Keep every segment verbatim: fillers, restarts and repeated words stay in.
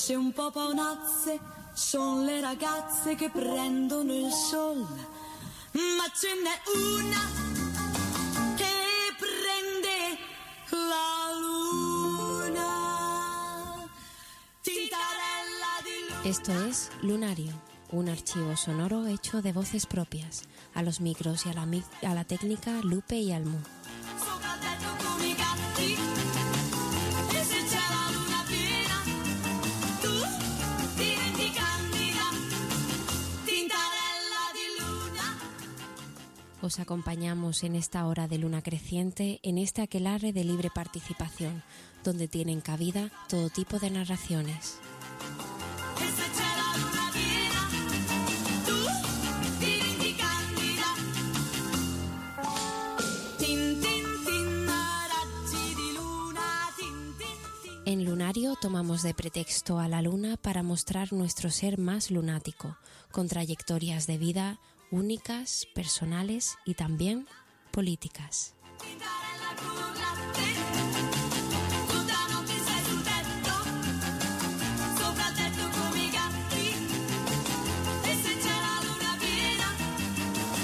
dolce un po' paonazze, sono le ragazze che prendono il sol, ma ce n'è una che prende la luna. Tintarella di luna. Esto es Lunario, un archivo sonoro hecho de voces propias, a los micros y a la, mi- a la técnica Lupe y Almu. Sopra il tetto come i gatti, e se c'è la luna piena, tu diventi candida, tintarella di luna. Os acompañamos en esta hora de luna creciente, en este aquelarre de libre participación, donde tienen cabida todo tipo de narraciones. E se c'è la luna piena, tu diventi candida, tin tin tin, raggi di luna, tin tin tin. En Lunario tomamos de pretexto a la luna para mostrar nuestro ser más lunático, con trayectorias de vida únicas, personales y también políticas. Tintarella con latte, tutta notte sei sul tetto, sopra il tetto come i gatti, e se c'è la luna piena,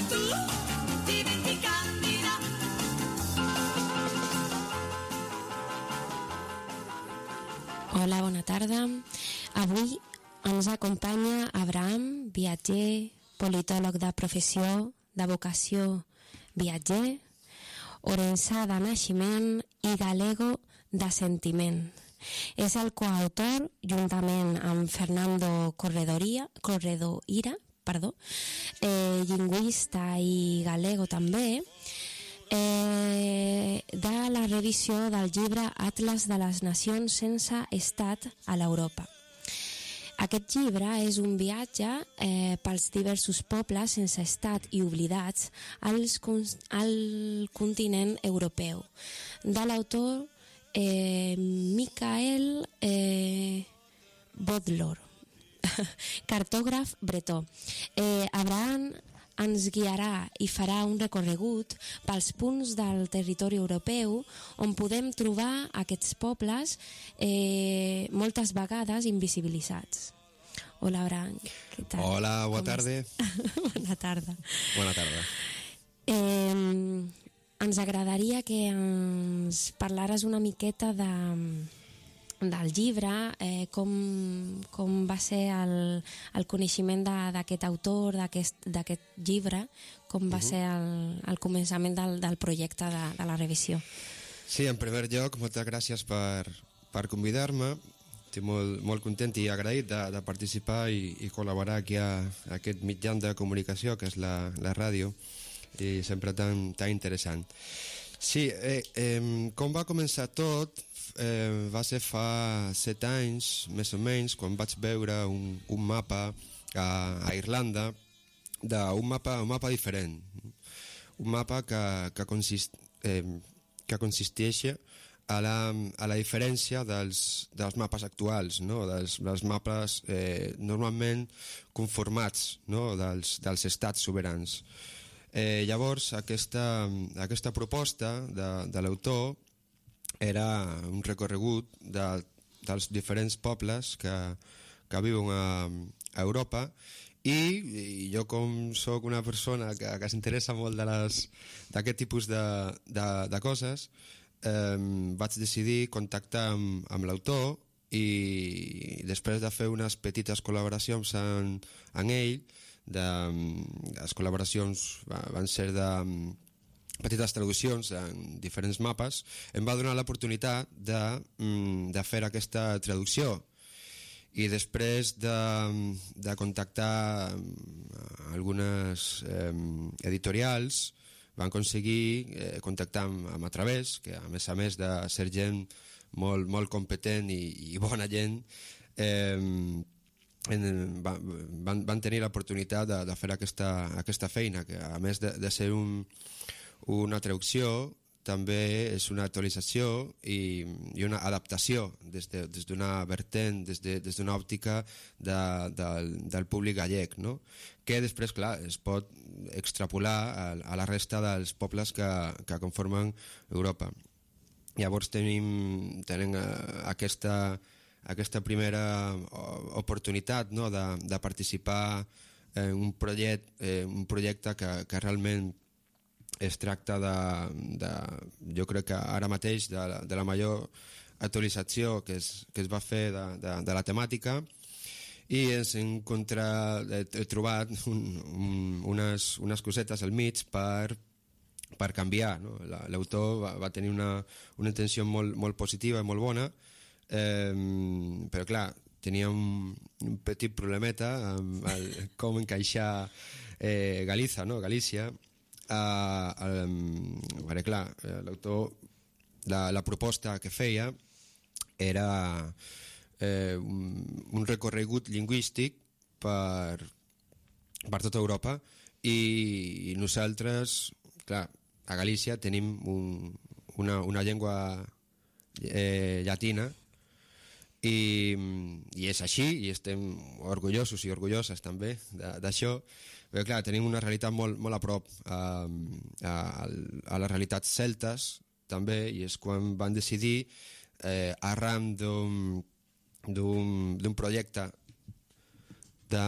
tu diventi candida. Hola, bona tarda. Avui ens acompanya Abraham, viatger, politòleg de professió, de vocació, viatger, orençà de naixement i galego de sentiment. És el coautor, juntament amb Fernando Corredoria, Corredoira, perdó, eh, lingüista i galego també, eh, de la revisió del llibre Atlas de les Nacions sense Estat a l'Europa. Aquest llibre és un viatge eh, pels diversos pobles sense estat i oblidats als, al continent europeu, de l'autor eh, Michael eh, Bodlor, cartògraf bretó. Eh, Abraham ens guiarà i farà un recorregut pels punts del territori europeu on podem trobar aquests pobles eh, moltes vegades invisibilitzats. Hola, Abraham, què tal? Hola, bona tarda. Bona tarda. Bona tarda. Eh, ens agradaria que ens parlares una miqueta de, del llibre, eh, com, com va ser el, el coneixement d'aquest autor, d'aquest llibre, com va uh-huh. ser el, el començament del, del projecte de, de la revisió. Sí, en primer lloc, moltes gràcies per, per convidar-me. Estic molt, molt content i agraït de, de participar i, i col·laborar aquí a, a aquest mitjà de comunicació que és la, la ràdio, i sempre tan, tan interessant. Sí, eh, eh, com va començar tot eh, va ser fa set anys, més o menys, quan vaig veure un, un mapa a, a Irlanda, d'un mapa, un mapa diferent, un mapa que, que, consist, eh, que consisteix a la, a la diferència dels, dels mapes actuals, no? dels, dels mapes eh, normalment conformats, no? dels, dels estats soberans. Eh, llavors, aquesta, aquesta proposta de, de l'autor era un recorregut de, dels diferents pobles que, que viuen a, a Europa, i, i jo, com sóc una persona que, que s'interessa molt d'aquest tipus de, de, de coses, Eh, vaig decidir contactar amb, amb l'autor, i després de fer unes petites col·laboracions en, en ell, de, les col·laboracions van ser de petites traduccions en diferents mapes, em va donar l'oportunitat de, de fer aquesta traducció. I després de, de contactar algunes eh, editorials, van aconseguir eh, contactar amb, amb A Través, que a més a més de ser gent molt, molt competent i, i bona gent, eh, en, van, van tenir l'oportunitat de, de fer aquesta, aquesta feina, que a més de, de ser un, una traducció, també és una actualització i, i una adaptació des de, des d'una vertent, des de, des d'una òptica de, del, del públic gallec, no? Que després, clar, es pot extrapolar a, a la resta dels pobles que, que conformen Europa. Llavors tenim, tenim aquesta, aquesta primera oportunitat, no?, de, de participar en un projecte, eh, un projecte que, que realment es tracta de, de, jo crec que ara mateix, de, de la major actualització que es, que es va fer de, de, de la temàtica, i ens hem, contra, he trobat un, un, unes, unes cosetes al mig per, per canviar, no? L'autor va, va tenir una, una intenció molt, molt positiva i molt bona, eh, però clar, tenia un, un petit problemeta amb el, com encaixar eh, Galiza, no? Galícia. Uh, um, perquè clar, l'autor, la, la proposta que feia era eh, un, un recorregut lingüístic per, per tota Europa, i, i nosaltres, clar, a Galícia tenim un, una, una llengua eh, llatina, i, i és així, i estem orgullosos i orgulloses també d'això, però clar, tenim una realitat molt, molt a prop a, a, a les realitats celtes també, i és quan van decidir, eh, arran d'un projecte de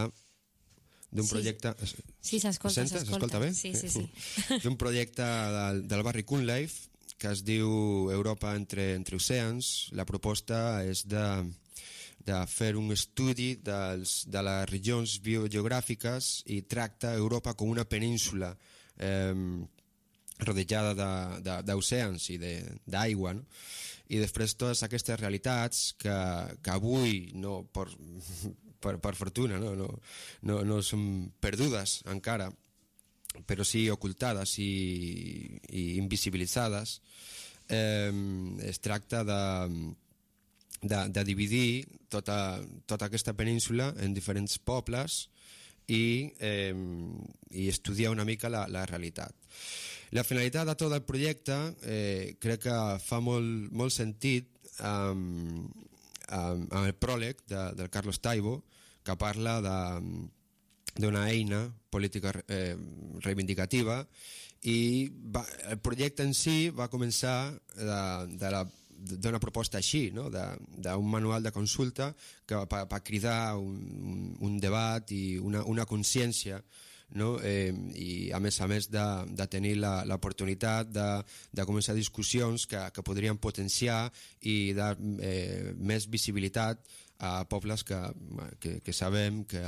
d'un projecte... Sí, s'escolta, s'escolta. S'escolta bé? Sí, sí, sí. D'un projecte del, del barri Cunliffe, que es diu Europa entre, entre oceans. La proposta és de, de fer un estudi dels, de les regions biogeogràfiques, i tracta Europa com una península eh, rodejada d'oceans i d'aigua, no? I després totes aquestes realitats que, que avui, no, per, per, per fortuna, no, no, no, no són perdudes encara, però sí ocultades i, i invisibilitzades, eh, es tracta de, de, de dividir tota, tota aquesta península en diferents pobles i, eh, i estudiar una mica la, la realitat. La finalitat de tot el projecte eh, crec que fa molt, molt sentit amb, amb, amb el pròleg de, del Carlos Taibo, que parla de d'una eina política eh, reivindicativa, i va, el projecte en si va començar d'una proposta així, no? d'un manual de consulta que per, per cridar un, un, un debat i una, una consciència, no? eh, i a més a més de, de tenir l'oportunitat de, de començar discussions que, que podrien potenciar i dar eh, més visibilitat a pobles que, que, que sabem que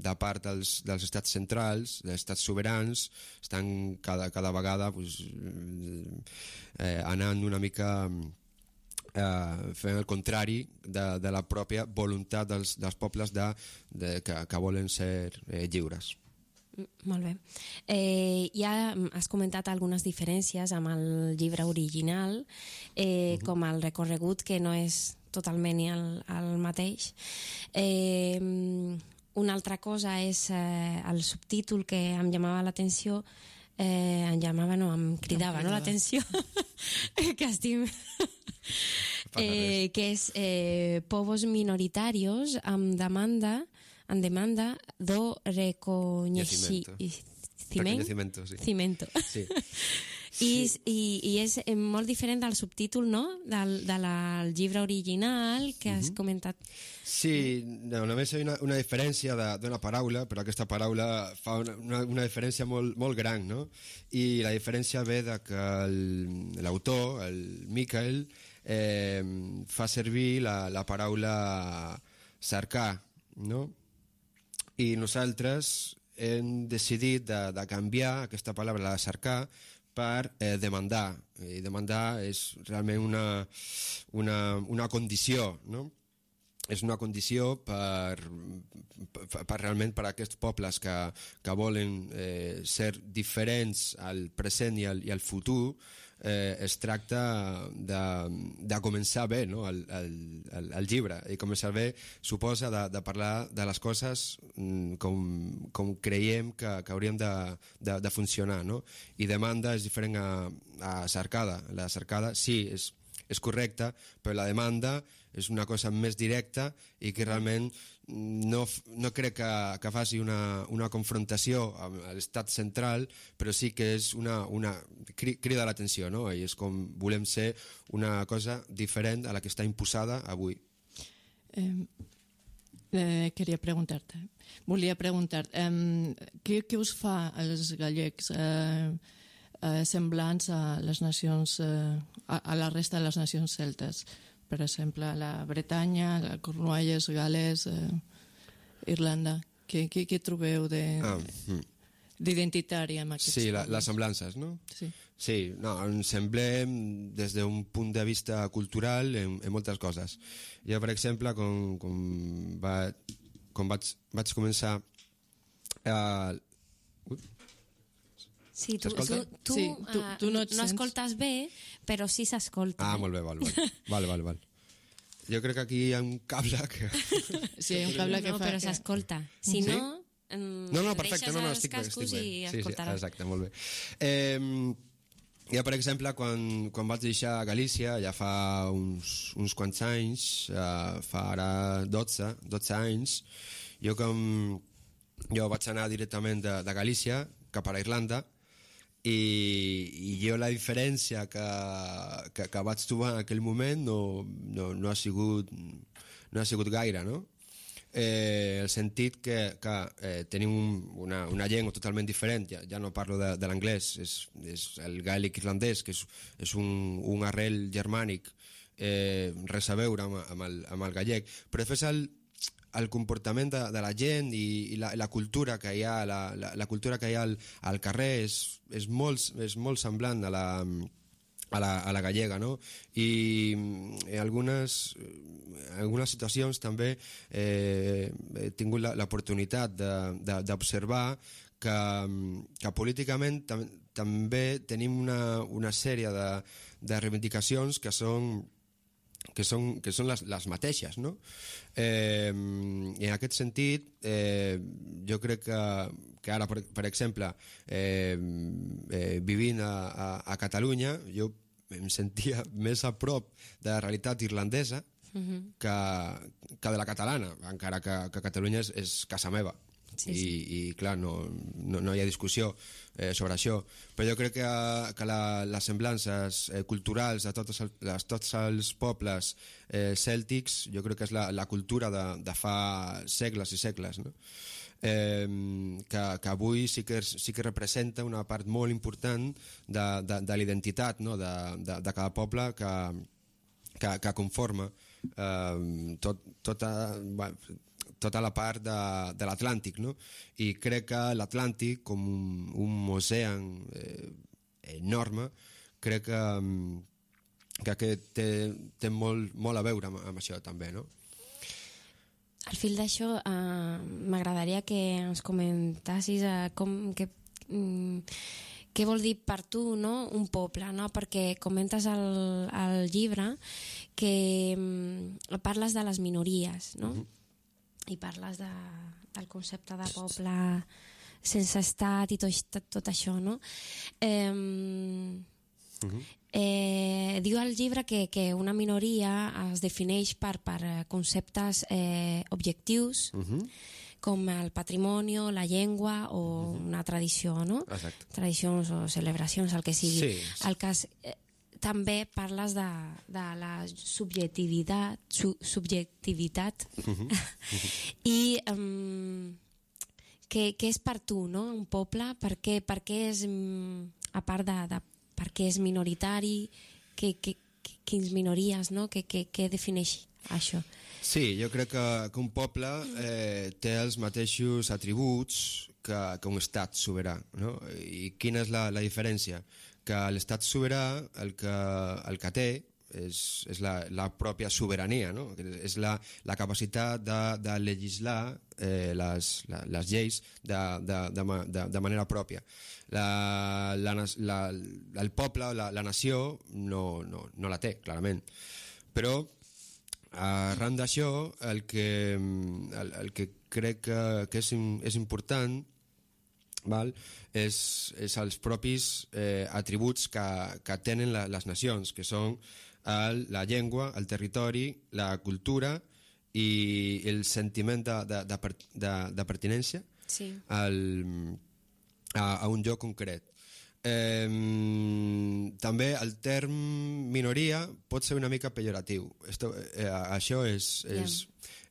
de part dels, dels estats centrals, dels estats soberans, estan cada, cada vegada pues, eh, anant una mica eh, fent el contrari de, de la pròpia voluntat dels, dels pobles de, de, que, que volen ser eh, lliures. Molt bé. Eh, ja has comentat algunes diferències amb el llibre original, eh, uh-huh. com el recorregut, que no és totalment el, el mateix. Eh, una altra cosa és eh, el subtítol, que em llamava l'atenció, eh, em llamava, no, em cridava, no, l'atenció, que estic... eh, que és eh, Povos minoritarios amb demanda en demanda do reconeixement. Reconeixement, sí. Cimento. Sí. I, i, I és molt diferent del subtítol, no?, del, del llibre original que has uh-huh. comentat. Sí, no, només hi ha una, una diferència d'una paraula, però aquesta paraula fa una, una, una diferència molt, molt gran, no? I la diferència ve de que l'autor, el, el Michael, eh, fa servir la, la paraula cercar, no? I nosaltres hem decidit de, de canviar aquesta paraula, la de cercar, per eh, demandar. I demandar és realment una, una, una condició, no? És una condició per, per, per realment per a aquests pobles que, que volen eh, ser diferents al present i al, i al futur. Eh, es tracta de, de començar bé, no? el, el, el llibre, i començar bé suposa de, de parlar de les coses com, com creiem que, que haurien de, de, de funcionar, no? I demanda és diferent a, a cercada. La cercada sí, és, és correcta, però la demanda és una cosa més directa i que realment no, no crec que, que faci una, una confrontació amb l'estat central, però sí que és una, una crida l'atenció, no? I és com volem ser una cosa diferent a la que està imposada avui. Eh, eh, queria preguntar-te, volia preguntar, eh, què, què us fa als gallecs eh, eh, semblants a les nacions, eh, a, a la resta de les nacions celtes? Per exemple, la Bretanya, la Cornualles, Gales, eh, Irlanda. Què, què, què trobeu de, Ah, mm. d'identitari amb aquests Sí, la, pobles? les semblances, no? Sí. Sí, no, ens semblem des d'un punt de vista cultural en, en moltes coses. Jo, per exemple, com, com, va, com vaig, vaig començar a... Uh, Sí, tu, tu, S'escolta? tu, Sí, tu- eh, tu no et no sents. escoltes bé, però sí s'escolta. ah, eh? molt bé, val, val. val, val, val. Jo crec que aquí hi ha un cable que... Sí, hi ha un cable que no, fa... però que- s'escolta. Si Sí? no, mm, No, no, perfecte, deixes no, no, els estic bé, cascos estic bé. i Sí, sí, escoltaràs. exacte, molt bé. Eh, jo, per exemple, quan, quan vaig deixar Galícia, ja fa uns, uns quants anys, eh, fa ara dotze, dotze anys, jo com... Jo vaig anar directament de, de Galícia cap a la Irlanda, i, i jo la diferència que, que, que vaig trobar en aquell moment no, no, no, ha, sigut, no ha sigut gaire, no? Eh, el sentit que, que eh, tenim un, una, una llengua totalment diferent, ja, ja no parlo de, de l'anglès, és, és el gàl·lic irlandès, que és, és un, un arrel germànic, eh, res a veure amb, amb, el, amb el gallec, però després el, el comportament de, de la gent i, i la, la cultura que hi ha, la, la, la cultura que hi ha al, al carrer és, és, molt, és molt semblant a la, a la, a la gallega, no? I en algunes, en algunes situacions també eh, he tingut l'oportunitat d'observar que, que políticament tam, també tenim una, una sèrie de, de reivindicacions que són que són, que són les, les mateixes, no? Eh, I en aquest sentit, eh, jo crec que, que ara, per, per exemple, eh, eh, vivint a, a, a Catalunya, jo em sentia més a prop de la realitat irlandesa uh-huh. que, que de la catalana, encara que, que Catalunya és, és casa meva. Sí, sí. I, i clar, no, no, no hi ha discussió eh, sobre això, però jo crec que, que la, les semblances eh, culturals de tots els, de tots els pobles eh, cèltics, jo crec que és la, la cultura de, de fa segles i segles, no? eh, que, que avui sí que, sí que representa una part molt important de, de, de l'identitat, no? de, de, de cada poble que, que, que conforma eh, tot, tota... Bueno, tota la part de, de l'Atlàntic, no? I crec que l'Atlàntic, com un, un ocean eh, enorme, crec que, que, que té, té molt, molt a veure amb, amb això també, no? Al fil d'això, eh, m'agradaria que ens comentassis eh, com, que, mm, què vol dir per tu, no? Un poble, no? Perquè comentes al, al llibre que mm, parles de les minories, no? Uh-huh. I parles de, del concepte de poble sense estat i tot, tot això, no? Eh, uh-huh. eh, diu al llibre que, que una minoria es defineix per, per conceptes eh, objectius, uh-huh. com el patrimoni, la llengua o uh-huh. una tradició, no? Exacte. Tradicions o celebracions, el que sigui. Sí. El cas... Eh, també parles de, de la subjectivitat, su, subjectivitat uh-huh. Uh-huh. i um, què, què és per tu, no? Un poble, per què, per què és, a part de, de per què és minoritari, que, que, que, quins minories, no? Què, què, què defineix això? Sí, jo crec que, que un poble eh, té els mateixos atributs que, que un estat sobirà, no? I quina és la, la diferència? Que l'estat sobirà el que, el que té és, és la, la pròpia sobirania, no? És la, la capacitat de, de legislar eh, les, la, les lleis de, de, de, de, de manera pròpia. La, la, la, el poble, la, la nació, no, no, no la té, clarament. Però arran d'això, el que, el, el que crec que, que és, és important, val? És, és els propis eh, atributs que, que tenen la, les nacions, que són el, la llengua, el territori, la cultura i el sentiment de, de, de, de, de pertinència sí. al, a, a un lloc concret. eh, també el term minoria pot ser una mica pejoratiu. Esto, eh, això és, és,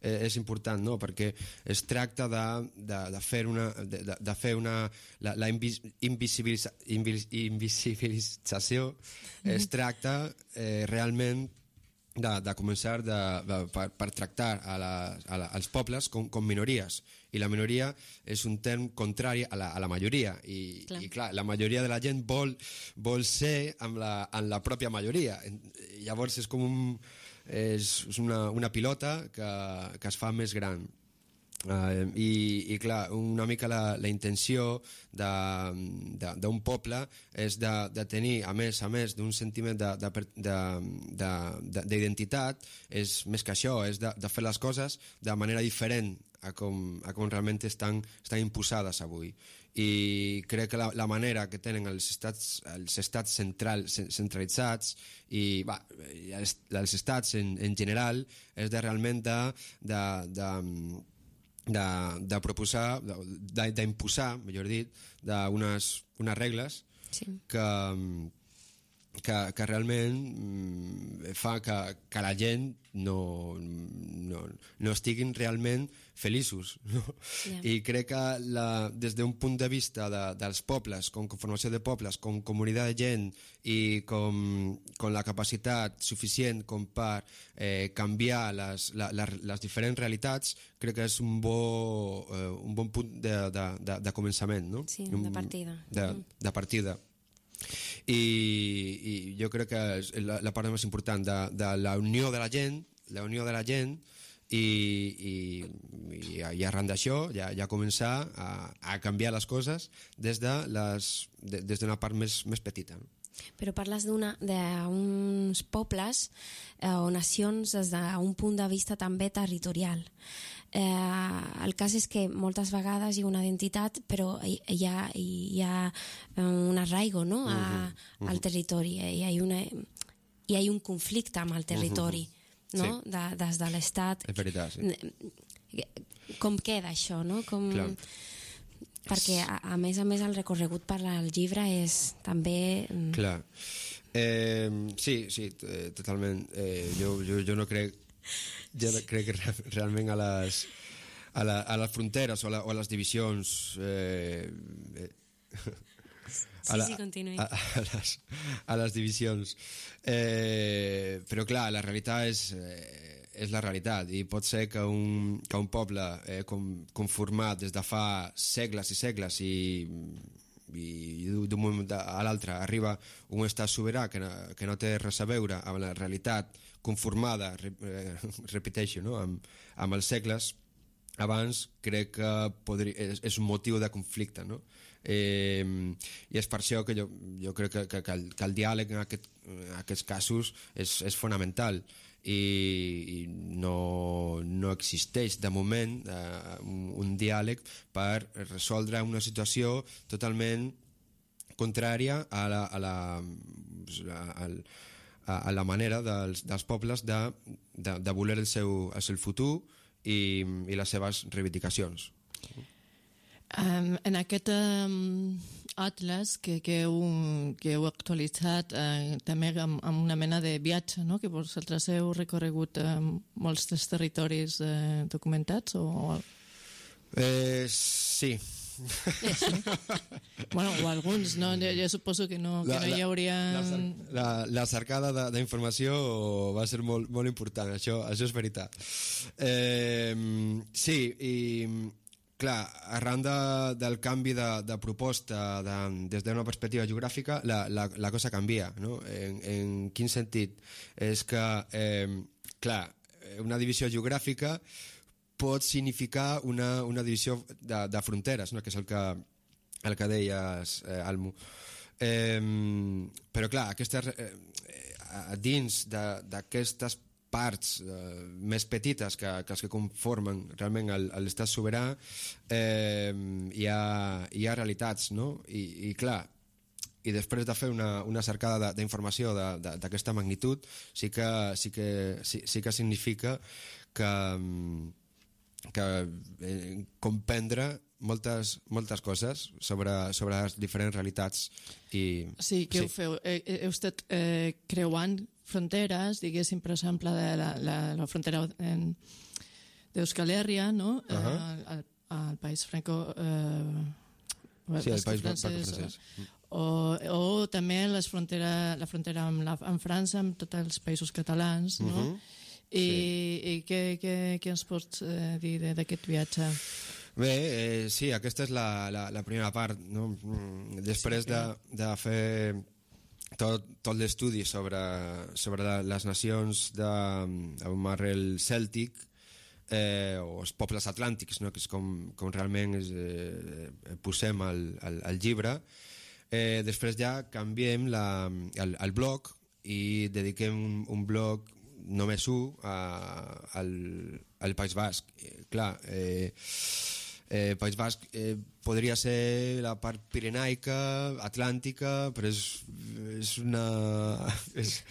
yeah. és important, no? Perquè es tracta de, de, de fer una, de, de fer una la, la invis, invisibilitza, invis, invisibilització mm-hmm. es tracta eh, realment de, de començar de, de, per, per tractar a la, a la, als pobles com, com minories, i la minoria és un term contrari a la, a la majoria i clar. i clar, la majoria de la gent vol, vol ser amb la, amb la pròpia majoria. Llavors és com un, és una, una pilota que, que es fa més gran. Uh, i, i clar, una mica la, la intenció d'un poble és de, de tenir, a més a més d'un sentiment d'identitat, és més que això, és de, de fer les coses de manera diferent a com, a com realment estan, estan imposades avui. I crec que la, la manera que tenen els estats, els estats central, centralitzats i va, els, els estats en, en general és de realment de, de, de De, de proposar, d'imposar, millor dit, d'unes unes regles sí. que, que, que realment fa que, que la gent no, no, no estiguin realment feliços. No? Yeah. I crec que la, des d'un punt de vista de, dels pobles, com conformació de pobles, com comunitat de gent i com, com la capacitat suficient com per eh, canviar les, la, la, les diferents realitats, crec que és un, bo, eh, un bon punt de, de, de, de començament. No? Sí, de partida. De, de partida. I, i jo crec que és la, la part més important de, de la unió de la gent, la unió de la gent i, i, i, i arran d'això ja, ja començar a, a canviar les coses des de les, de, des d'una part més, més petita. Però parles d'uns pobles eh, o nacions des d'un punt de vista també territorial. Eh, el cas és que moltes vegades hi ha una identitat, però hi, hi, ha, hi ha un arraigo, no? a, uh-huh, uh-huh. al territori. Hi ha, una, hi ha un conflicte amb el territori, uh-huh, no? Sí. De, des de l'Estat. És veritat, sí. Com queda això, no? Com... Clar. Perquè a, a més a més el recorregut per al llibre és també... Clar. Eh, sí, sí, totalment. Eh, jo, jo, jo no crec... Jo crec que realment a les, a, la, a les fronteres o a, la, o a les divisions... Eh, eh, sí, la, sí, continuï. A, a, les, a les divisions. Eh, però clar, la realitat és... Eh, és la realitat, i pot ser que un, que un poble eh, com, conformat des de fa segles i segles i, i d'un moment a l'altre arriba un estat sobirà que no, que no té res a veure amb la realitat conformada, eh, repeteixo, no? amb, amb els segles abans, crec que podria, és, és un motiu de conflicte, no? Eh, i és per això que jo, jo crec que, que, que, el, que el diàleg en, aquest, en aquests casos és, és fonamental i, i no, no existeix de moment eh, un, un diàleg per resoldre una situació totalment contrària a la, a la, a, a, a la manera dels, dels pobles de, de, de voler el seu, el seu futur i, i les seves reivindicacions. Um, en aquest um, atles que, que, heu, que heu actualitzat uh, també amb, amb una mena de viatge, no? Que vosaltres heu recorregut um, molts dels territoris uh, documentats o... Eh, sí. sí. Bueno, o alguns, no? Jo, jo suposo que no, que la, no hi hauria... La, la, la cercada d'informació va ser molt, molt important, això, això és veritat. Eh, sí, i... Clar, arran de, del canvi de, de proposta de, des d'una perspectiva geogràfica, la, la, la cosa canvia, no? En, en quin sentit? És que, eh, clar, una divisió geogràfica pot significar una, una divisió de, de fronteres, no? Que és el que, el que deies, eh, Almu. Eh, però, clar, aquestes, eh, dins d'aquestes parts eh, més petites que, que els que conformen realment l'estat sobirà eh, hi, ha, hi ha realitats, no? I, i clar, i després de fer una, una cercada d'informació d'aquesta magnitud sí que, sí, que, sí, sí que significa que, que eh, comprendre moltes, moltes coses sobre, sobre les diferents realitats. I, Sí, què sí. ho feu? Eh, eh, heu estat eh, creuant fronteres, diguéssim, per exemple, de la, la, la frontera en, d'Euskal Herria, no? Uh -huh. eh, al, al País Franco... Eh, Sí, el País francès, francès. o, o també les frontera, la frontera amb, la, amb França, amb tots els països catalans, no? Uh -huh. I, sí. i què, què, què ens pots eh, dir d'aquest viatge? Bé, eh, sí, aquesta és la, la, la primera part, no? Després Sí, de, de fer tot, tot l'estudi sobre, sobre la, les nacions de, amb arrel cèltic, eh, o els pobles atlàntics, no? Que és com, com realment és, eh, posem al, al, al llibre, eh, després ja canviem la, el, el blog i dediquem un, un blog només un a, al, al País Basc. Eh, clar, eh, Eh, País Basc eh, podria ser la part pirenaica, atlàntica, però és, és una... És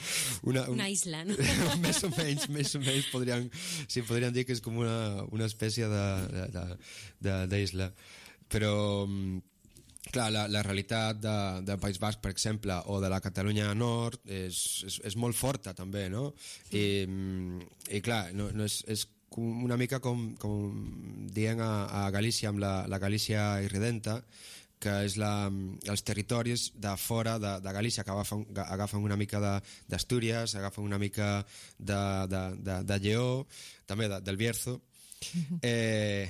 una, un, Una isla, no? més o menys, més o menys podríem, sí, podríem dir que és com una, una espècie d'isla. Però, clar, la, la realitat de, del País Basc, per exemple, o de la Catalunya Nord, és, és, és molt forta, també, no? I, i clar, no, no és, és una mica com, com dient a, a Galícia amb la, la Galícia irredenta, que és la, els territoris de fora de, de Galícia que agafen, agafen una mica d'Astúries, agafen una mica de, de, de, de Lleó, també de, del Bierzo. Eh,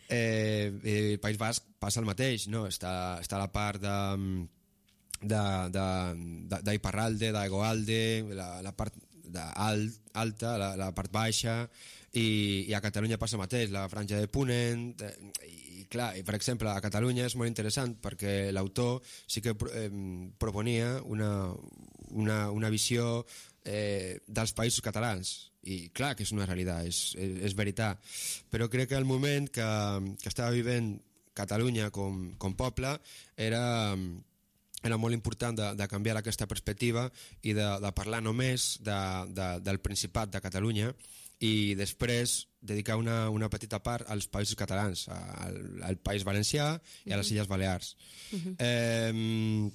eh, el País Basc passa el mateix, no? Està, està la part de d'Iparralde, d'Egoalde, la, la part alt, alta, la, la part baixa, i, i a Catalunya passa el mateix, la franja de Ponent, i, i clar, i per exemple a Catalunya és molt interessant perquè l'autor sí que eh, proponia una, una, una visió eh, dels països catalans, i clar que és una realitat, és, és, és veritat, però crec que el moment que, que estava vivint Catalunya com, com poble era... era molt important de, de canviar aquesta perspectiva i de, de parlar només de, de, del Principat de Catalunya i després dedicar una, una petita part als països catalans, al, al País Valencià i a les Illes Balears. Uh-huh. eh,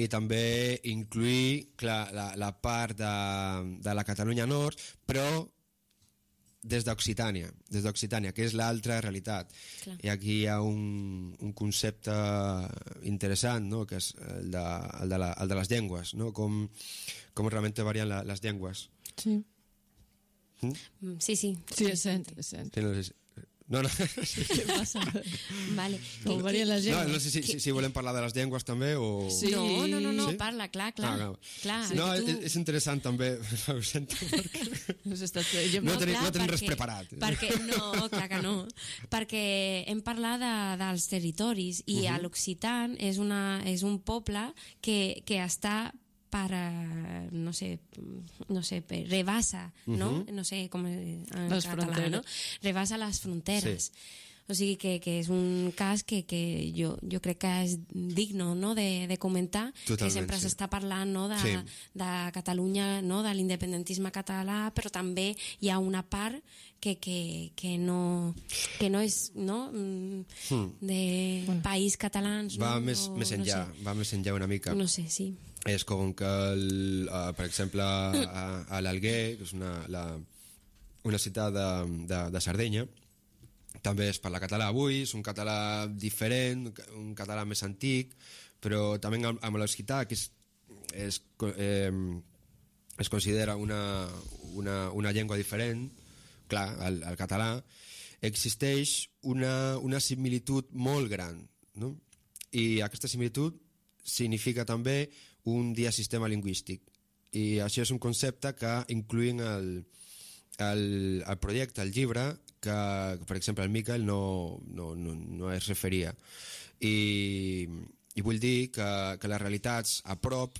I també incluir clar, la, la part de, de la Catalunya Nord, però des d'Occitània, des d'Occitània, que és l'altra realitat. Clar. I aquí hi ha un, un concepte interessant, no? Que és el de, el de, la, el de les llengües, no? Com, com realment varien la, les llengües. Sí. Mm? Sí, sí. Sí, és sent, és sent. Sí, no, no, no. Què passa? Vale. Com varien les No, llengües? no sé si, si, si volem parlar de les llengües també o... Sí. No, no, no, no Sí? parla, clar, clar. Ah, no. clar Sí. No, tu... és, és interessant també, ho sento, perquè Has estat... Jo no no, tenim, clar, no tenim res perquè- preparat. Perquè, no, clar que no. Perquè hem parlat de, dels territoris i Mhm. a l'Occitan és, una, és un poble que, que està per, eh, no sé, no sé, per, rebassa, no? No sé com en Les català, fronteres. no? Rebassa les fronteres. Sí. O sigui que, que és un cas que, que jo, jo crec que és digno, no? de, de comentar, Totalment, que sempre sí. s'està parlant, no? de, Sí. de Catalunya, no? de l'independentisme català, però també hi ha una part que, que, que, no, que no és no? Mm, de país catalans. Va no? més, no, més enllà, no sé. va més enllà una mica. No sé, sí. És com que, el, uh, per exemple, a, a l'Alguer, que és una, la, una ciutat de, de, de Sardenya, també es parla català avui, és un català diferent, un català més antic, però també amb, amb l'occità, que és, és, eh, es considera una, una, una llengua diferent, clar, el, el català, existeix una, una similitud molt gran, no? I aquesta similitud significa també un diasistema lingüístic. I això és un concepte que incluïn el, el, el projecte, el llibre, que, per exemple, el Miquel no, no, no, no es referia. I, i vull dir que, que les realitats a prop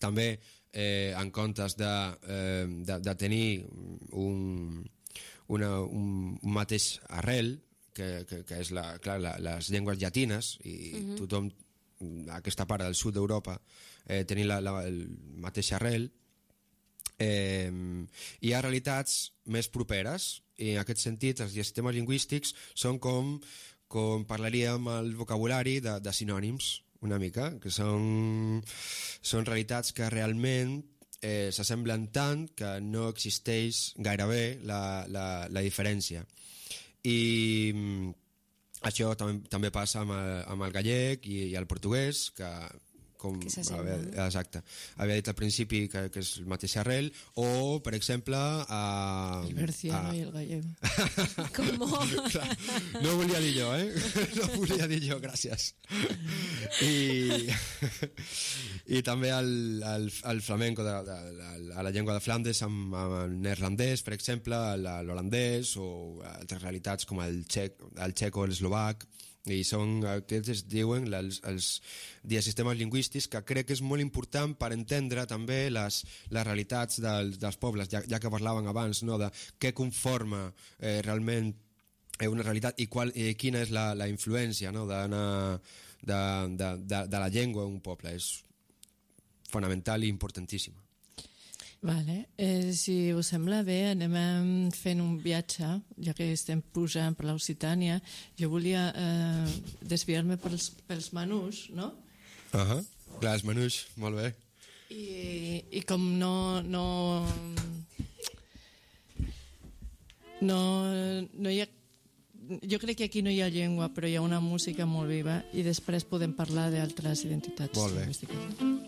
també, eh, en comptes de, eh, de, de tenir un, una, un, un mateix arrel, que, que, que és la, clar, la, les llengües llatines, i uh-huh. tothom, aquesta part del sud d'Europa, eh, tenir la, la, el mateix arrel, eh, hi ha realitats més properes i en aquest sentit els sistemes lingüístics són com, com parlaríem el vocabulari de, de sinònims, una mica, que són, són realitats que realment eh, s'assemblen tant que no existeix gairebé la, la, la diferència. I mm, això tam també passa amb el, amb el gallec i, i el portuguès, que com que s'assembla, havia, no? exacte, havia dit al principi que, que és el mateix arrel, o per exemple a, El berciano a... i el gallego. Com? No volia dir jo, eh? No volia dir jo, gràcies. I, i també el, el, el flamenco de, de, de, a la llengua de Flandes amb, amb el neerlandès, per exemple, l'holandès o altres realitats com el txec, el txec o l'eslovac. I són, aquests es diuen els, els diasistemes lingüístics, que crec que és molt important per entendre també les, les realitats dels, dels pobles, ja, ja que parlaven abans, no, de què conforma eh, realment una realitat i, qual, i quina és la, la influència, no, de, de, de, de, de la llengua d'un poble. És fonamental i importantíssima. Vale. Eh, si us sembla bé, anem fent un viatge, ja que estem pujant per l'Occitània. Jo volia eh, desviar-me pels, pels menús, no? Uh -huh. Clar, els menús, molt bé. I, i com no... no no, no hi ha, jo crec que aquí no hi ha llengua, però hi ha una música molt viva i després podem parlar d'altres identitats. Molt bé. lingüístiques.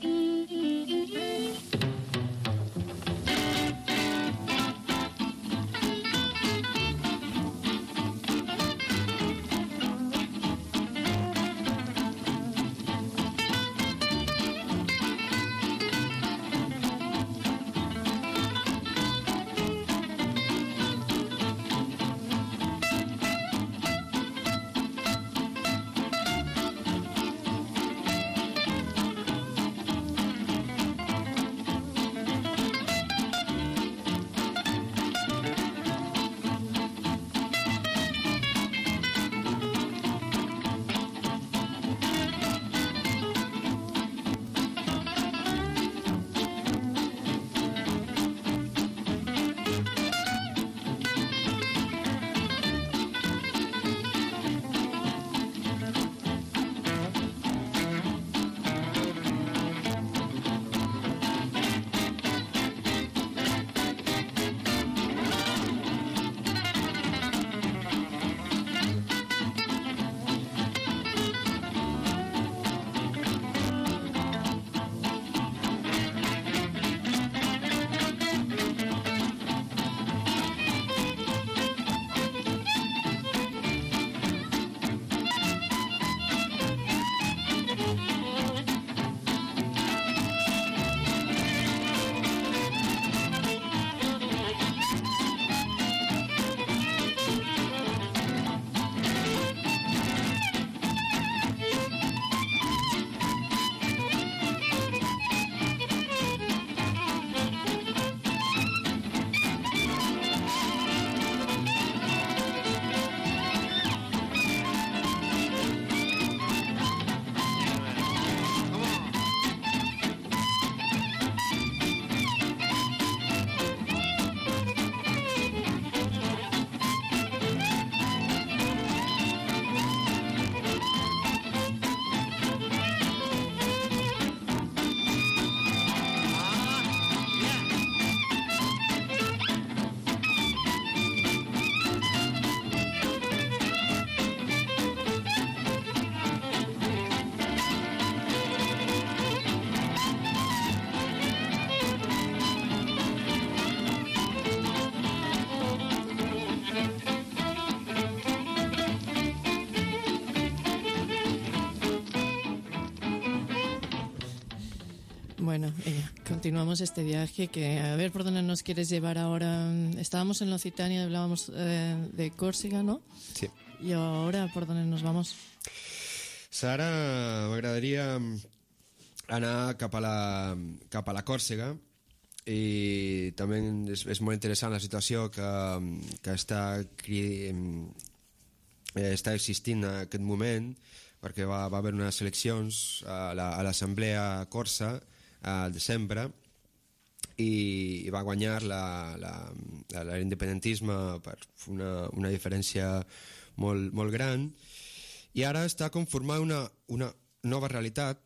Bueno, eh, continuamos este viaje que a ver por dónde nos quieres llevar ahora. Estábamos en la Occitania, hablábamos eh, de Còrsega, ¿no? Sí. Y ahora por dónde nos vamos. Sara, m'agradaria anar cap a la, cap a la Còrsega, i també és, és molt interessant la situació que, que està, eh, està existint en aquest moment, perquè va, va haver unes eleccions a l'Assemblea Corsa al desembre, i, i va guanyar la, la, la, l'independentisme per una, una diferència molt, molt gran, i ara està conformada una, una nova realitat,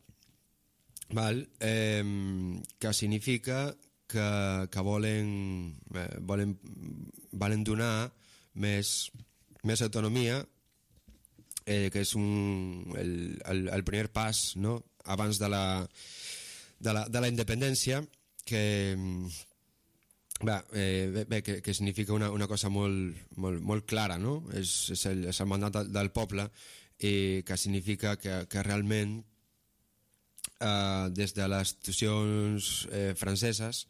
val? Eh, que significa que, que volen, eh, volen, volen donar més, més autonomia, eh, que és un, el, el, el primer pas, no? Abans de la, de la, de la independència, que, bé, eh, bé, que, que significa una, una cosa molt, molt, molt clara, no? És, és, el, és el mandat del, del poble, i que significa que, que realment eh, des de les institucions eh, franceses,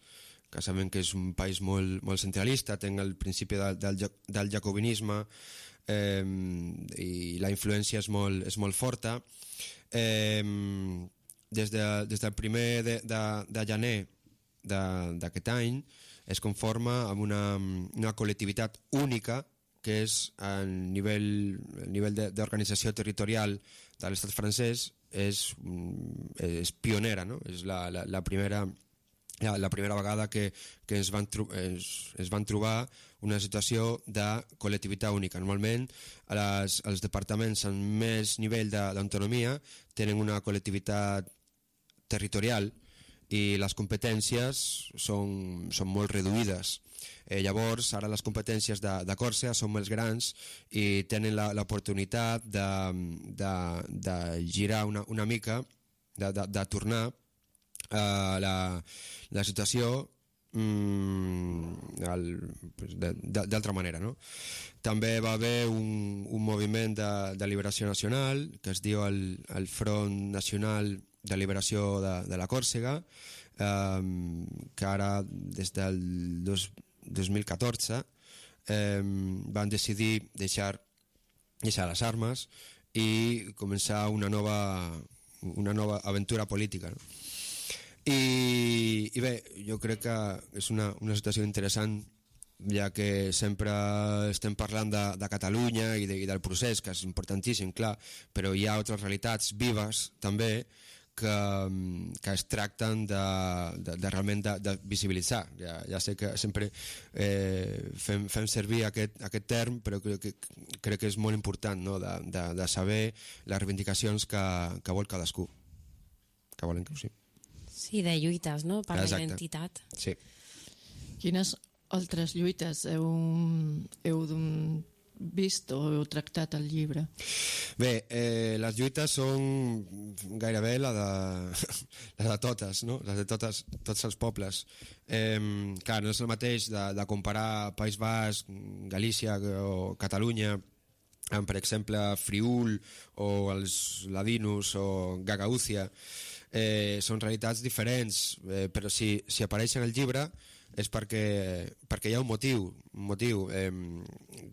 que sabem que és un país molt, molt centralista, té el principi del, del, del jacobinisme, eh, i la influència és molt, és molt forta. Eh, des, de, des del primer de, de, de gener d'aquest any es conforma amb una, una col·lectivitat única, que és el nivell, el nivell d'organització territorial de l'estat francès, és, és pionera, no? És la, la, la primera... Ja, la primera vegada que, que es, van es, es van trobar una situació de col·lectivitat única. Normalment les, els departaments amb més nivell d'autonomia tenen una col·lectivitat territorial i les competències són, són molt reduïdes. Eh, llavors, ara les competències de, de Còrsega són més grans i tenen l'oportunitat de, de, de girar una, una mica, de, de, de tornar Uh, la, la situació mm, d'altra manera, no? També va haver un, un moviment de, de liberació nacional que es diu el, el Front Nacional de Liberació de, de la Còrsega, um, que ara des del dos, dos mil catorze um, van decidir deixar, deixar les armes i començar una nova, una nova aventura política, no? I, i bé, jo crec que és una, una situació interessant, ja que sempre estem parlant de, de Catalunya i, de, i del procés, que és importantíssim, clar, però hi ha altres realitats vives també que, que es tracten de, de, de realment de, de visibilitzar. Ja, ja sé que sempre eh, fem, fem servir aquest, aquest term, però crec que, crec que és molt important, no? de, de, de saber les reivindicacions que, que vol cadascú, que volen que ho sigui. Sí, de lluites, no?, per Exacte. la identitat. Sí. Quines altres lluites heu, heu vist o heu tractat al llibre? Bé, eh, les lluites són gairebé la de, la de totes, no? Les de totes, tots els pobles. Eh, clar, no és el mateix de, de comparar País Basc, Galícia o Catalunya amb, per exemple, Friül o els Ladinos o Gagaúcia. Eh, són realitats diferents, eh, però si, si apareixen al llibre és perquè, perquè hi ha un motiu. Un motiu. Eh,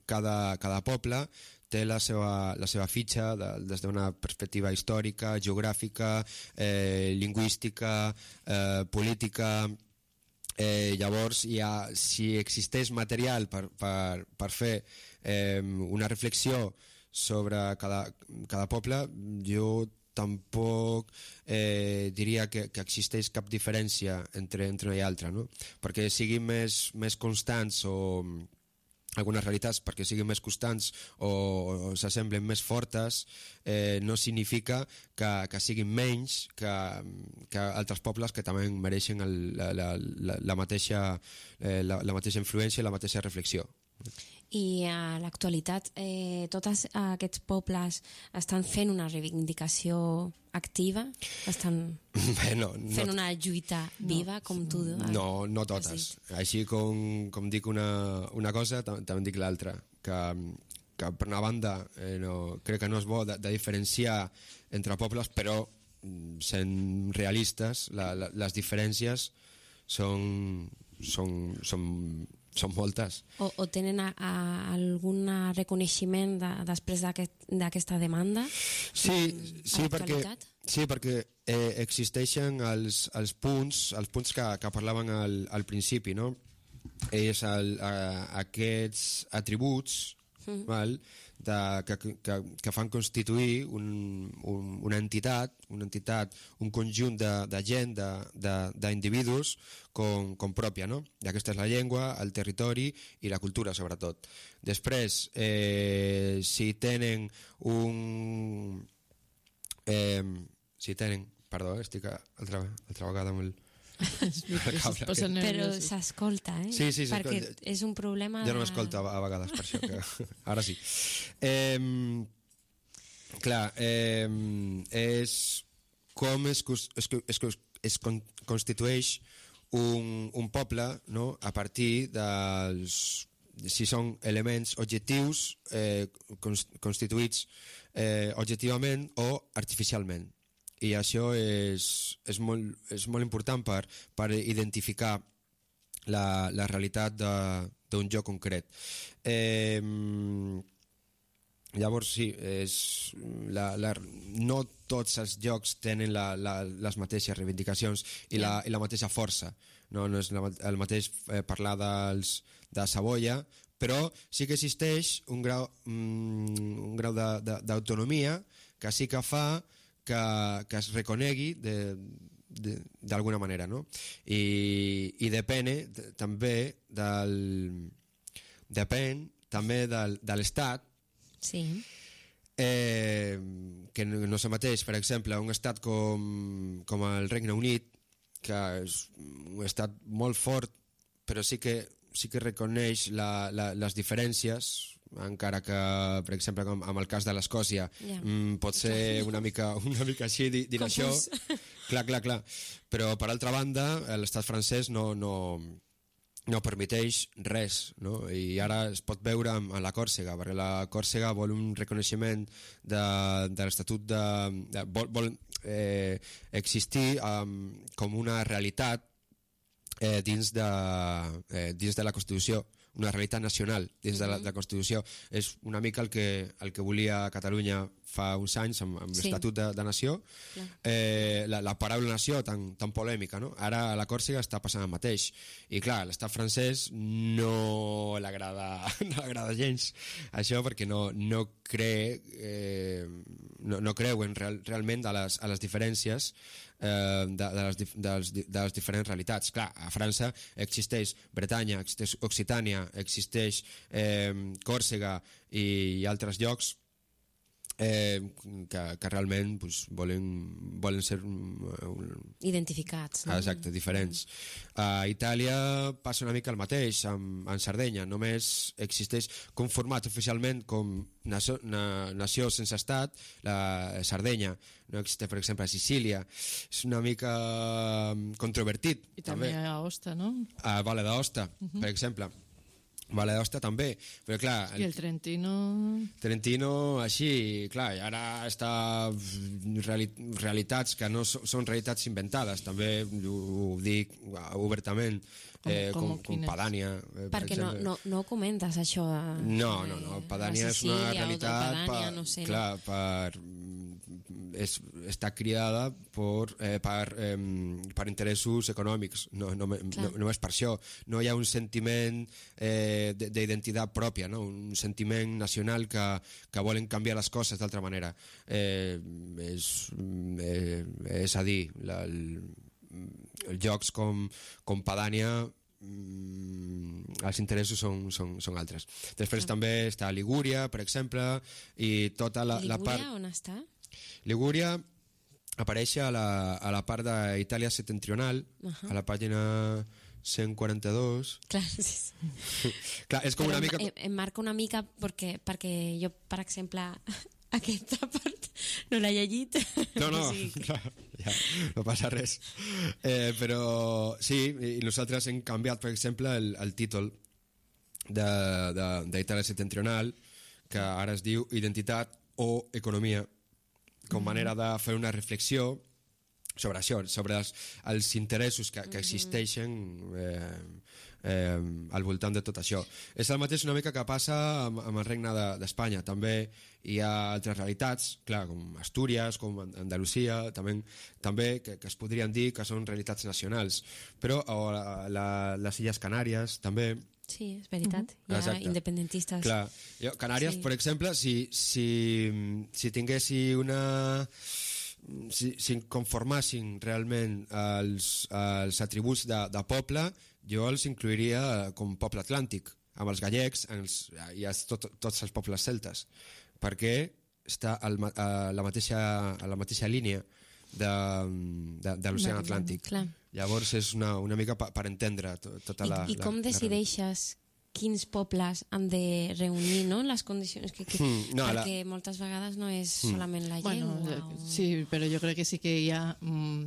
cada, cada poble té la seva, la seva fitxa de, des d'una perspectiva històrica, geogràfica, eh, lingüística, eh, política. Eh, llavors, hi ha, si existeix material per, per, per fer eh, una reflexió sobre cada, cada poble, jo tampoc eh, diria que, que existeix cap diferència entre, entre una i altra, no? Perquè siguin més, més constants o algunes realitats perquè siguin més constants o, o s'assemblen més fortes, eh, no significa que, que siguin menys que, que altres pobles que també mereixen el, la, la, la, la, mateixa, eh, la, la mateixa influència i la mateixa reflexió. I a l'actualitat eh, tots aquests pobles estan fent una reivindicació activa? Estan Bé, no, fent no, una lluita viva, com tu has no, no totes. Així com, com dic una, una cosa, tam també dic l'altra. Que, que per una banda eh, no, crec que no és bo de, de diferenciar entre pobles, però sent realistes, la, la, les diferències són, són, són són moltes. O, o tenen a, a algun reconeixement de, després d'aquesta aquest, demanda? Sí, sí, perquè, sí, perquè eh, existeixen els, els punts, els punts que, que parlaven al, al principi, no? És el, a, aquests atributs mm. val? De, que, que, que fan constituir un, un, una entitat, una entitat, un conjunt de, de gent, d'individus com, com pròpia, no? I aquesta és la llengua, el territori i la cultura, sobretot. Després, eh, si tenen un... Eh, si tenen... Perdó, estic altra, altra vegada amb el... Però s'escolta, eh? Sí, sí, perquè és un problema jo no m'escolto a, a vegades per això que... ara sí eh, clar eh, és com es, es, es, es constitueix un, un poble, no? A partir dels, si són elements objectius eh, constituïts eh, objectivament o artificialment. I això és, és, molt, és molt important per, per identificar la, la realitat d'un lloc concret. Eh, llavors, sí, és la, la, no tots els llocs tenen la, la, les mateixes reivindicacions i la, i la mateixa força. No, no és la, el mateix eh, parlar dels, de Savoia, però sí que existeix un grau, un grau d'autonomia que sí que fa que, que es reconegui d'alguna de, manera, no? I, i depèn de, també del depèn també del, de l'Estat, sí. eh, que no, no és el mateix, per exemple, un estat com, com el Regne Unit, que és un estat molt fort, però sí que, sí que reconeix la, la, les diferències, encara que, per exemple, com amb el cas de l'Escòcia, yeah. mm, pot ser una mica, una mica així dir, dir això. Clar, clar, clar. Però, per altra banda, l'estat francès no, no, no permeteix res, no? I ara es pot veure amb, amb la Còrsega, perquè la Còrsega vol un reconeixement de, de l'Estatut de... de vol vol eh, existir um, com una realitat eh, dins, de, eh, dins de la Constitució, una realitat nacional dins de la, de la Constitució. És una mica el que, el que volia Catalunya fa uns anys amb, amb sí. l'Estatut de, de Nació, eh, la, la paraula nació tan, tan polèmica, no? Ara a la Còrsega està passant el mateix, i clar, l'estat francès no l'agrada no l'agrada gens això, perquè no, no cree eh, no, no creuen real, realment a les, a les diferències eh, de, de, les, de, les, de les diferents realitats. Clar, a França existeix Bretanya, existeix Occitània, existeix eh, Còrsega i, i altres llocs eh, que, que realment pues, volen, volen ser uh, identificats, no? Exacte, diferents. A Itàlia passa una mica el mateix amb, amb Sardenya, només existeix conformat oficialment com nació, na, nació sense estat la Sardenya, no existeix per exemple a Sicília, és una mica controvertit. I també, també a Aosta, no? A Valle d'Aosta, uh-huh. per exemple. Valle d'Aosta també, però clar... I el Trentino... Trentino, així, clar, i ara està reali realitats que no so, són realitats inventades, també ho, ho dic obertament, eh, com, com, com Padània. Eh, per Perquè no, no, no comentes això. A, no, no, no, Padània és una realitat, Padània, no sé, clar, no? per... És, està criada per, eh, per, eh, per interessos econòmics, no, no, no, no és per això. No hi ha un sentiment eh, d'identitat pròpia, no? Un sentiment nacional que, que volen canviar les coses d'altra manera. Eh, és, eh, és a dir, la, el, els llocs com, com Padània, mm, els interessos són, són, són altres. Després ah. també està Ligúria, per exemple, i tota la, Ligúria, la part... on està? Ligúria apareix a la, a la part d'Itàlia septentrional, uh-huh. a la pàgina cent quaranta-dos. Clar, sí, sí. Clar, és com Però una mica... Em, em marca una mica perquè, perquè jo, per exemple, aquesta part no l'he llegit. No, no, o sigui que... clar, ja, no passa res. Eh, però sí, i nosaltres hem canviat, per exemple, el, el títol d'Itàlia septentrional, que ara es diu Identitat o Economia, com manera de fer una reflexió sobre això, sobre els, els interessos que, que existeixen eh, eh, al voltant de tot això. És el mateix una mica que passa amb, amb el Regne d'Espanya. També hi ha altres realitats, clar, com Astúries, com Andalusia, també, també que, que es podrien dir que són realitats nacionals. Però o la, la, les Illes Canàries també Sí, és veritat. Uh-huh. Hi ha Exacte. independentistes. Clar. Jo, Canàries, Sí. per exemple, si, si, si tinguessi una... Si, si conformassin realment els, els atributs de, de poble, jo els incluiria com poble atlàntic, amb els gallecs els, i els, tot, tots els pobles celtes, perquè està al, a, la mateixa, a la mateixa línia de, de, de l'oceà Atlàntic. Clar. Llavors és una, una mica per, per entendre to, tota la... I, i com la, decideixes quins pobles han de reunir, no?, les condicions que... que Mm, no, perquè la- moltes vegades no és Mm. solament la Bueno, llengua. eh, o... sí, però jo crec que sí que hi ha mm,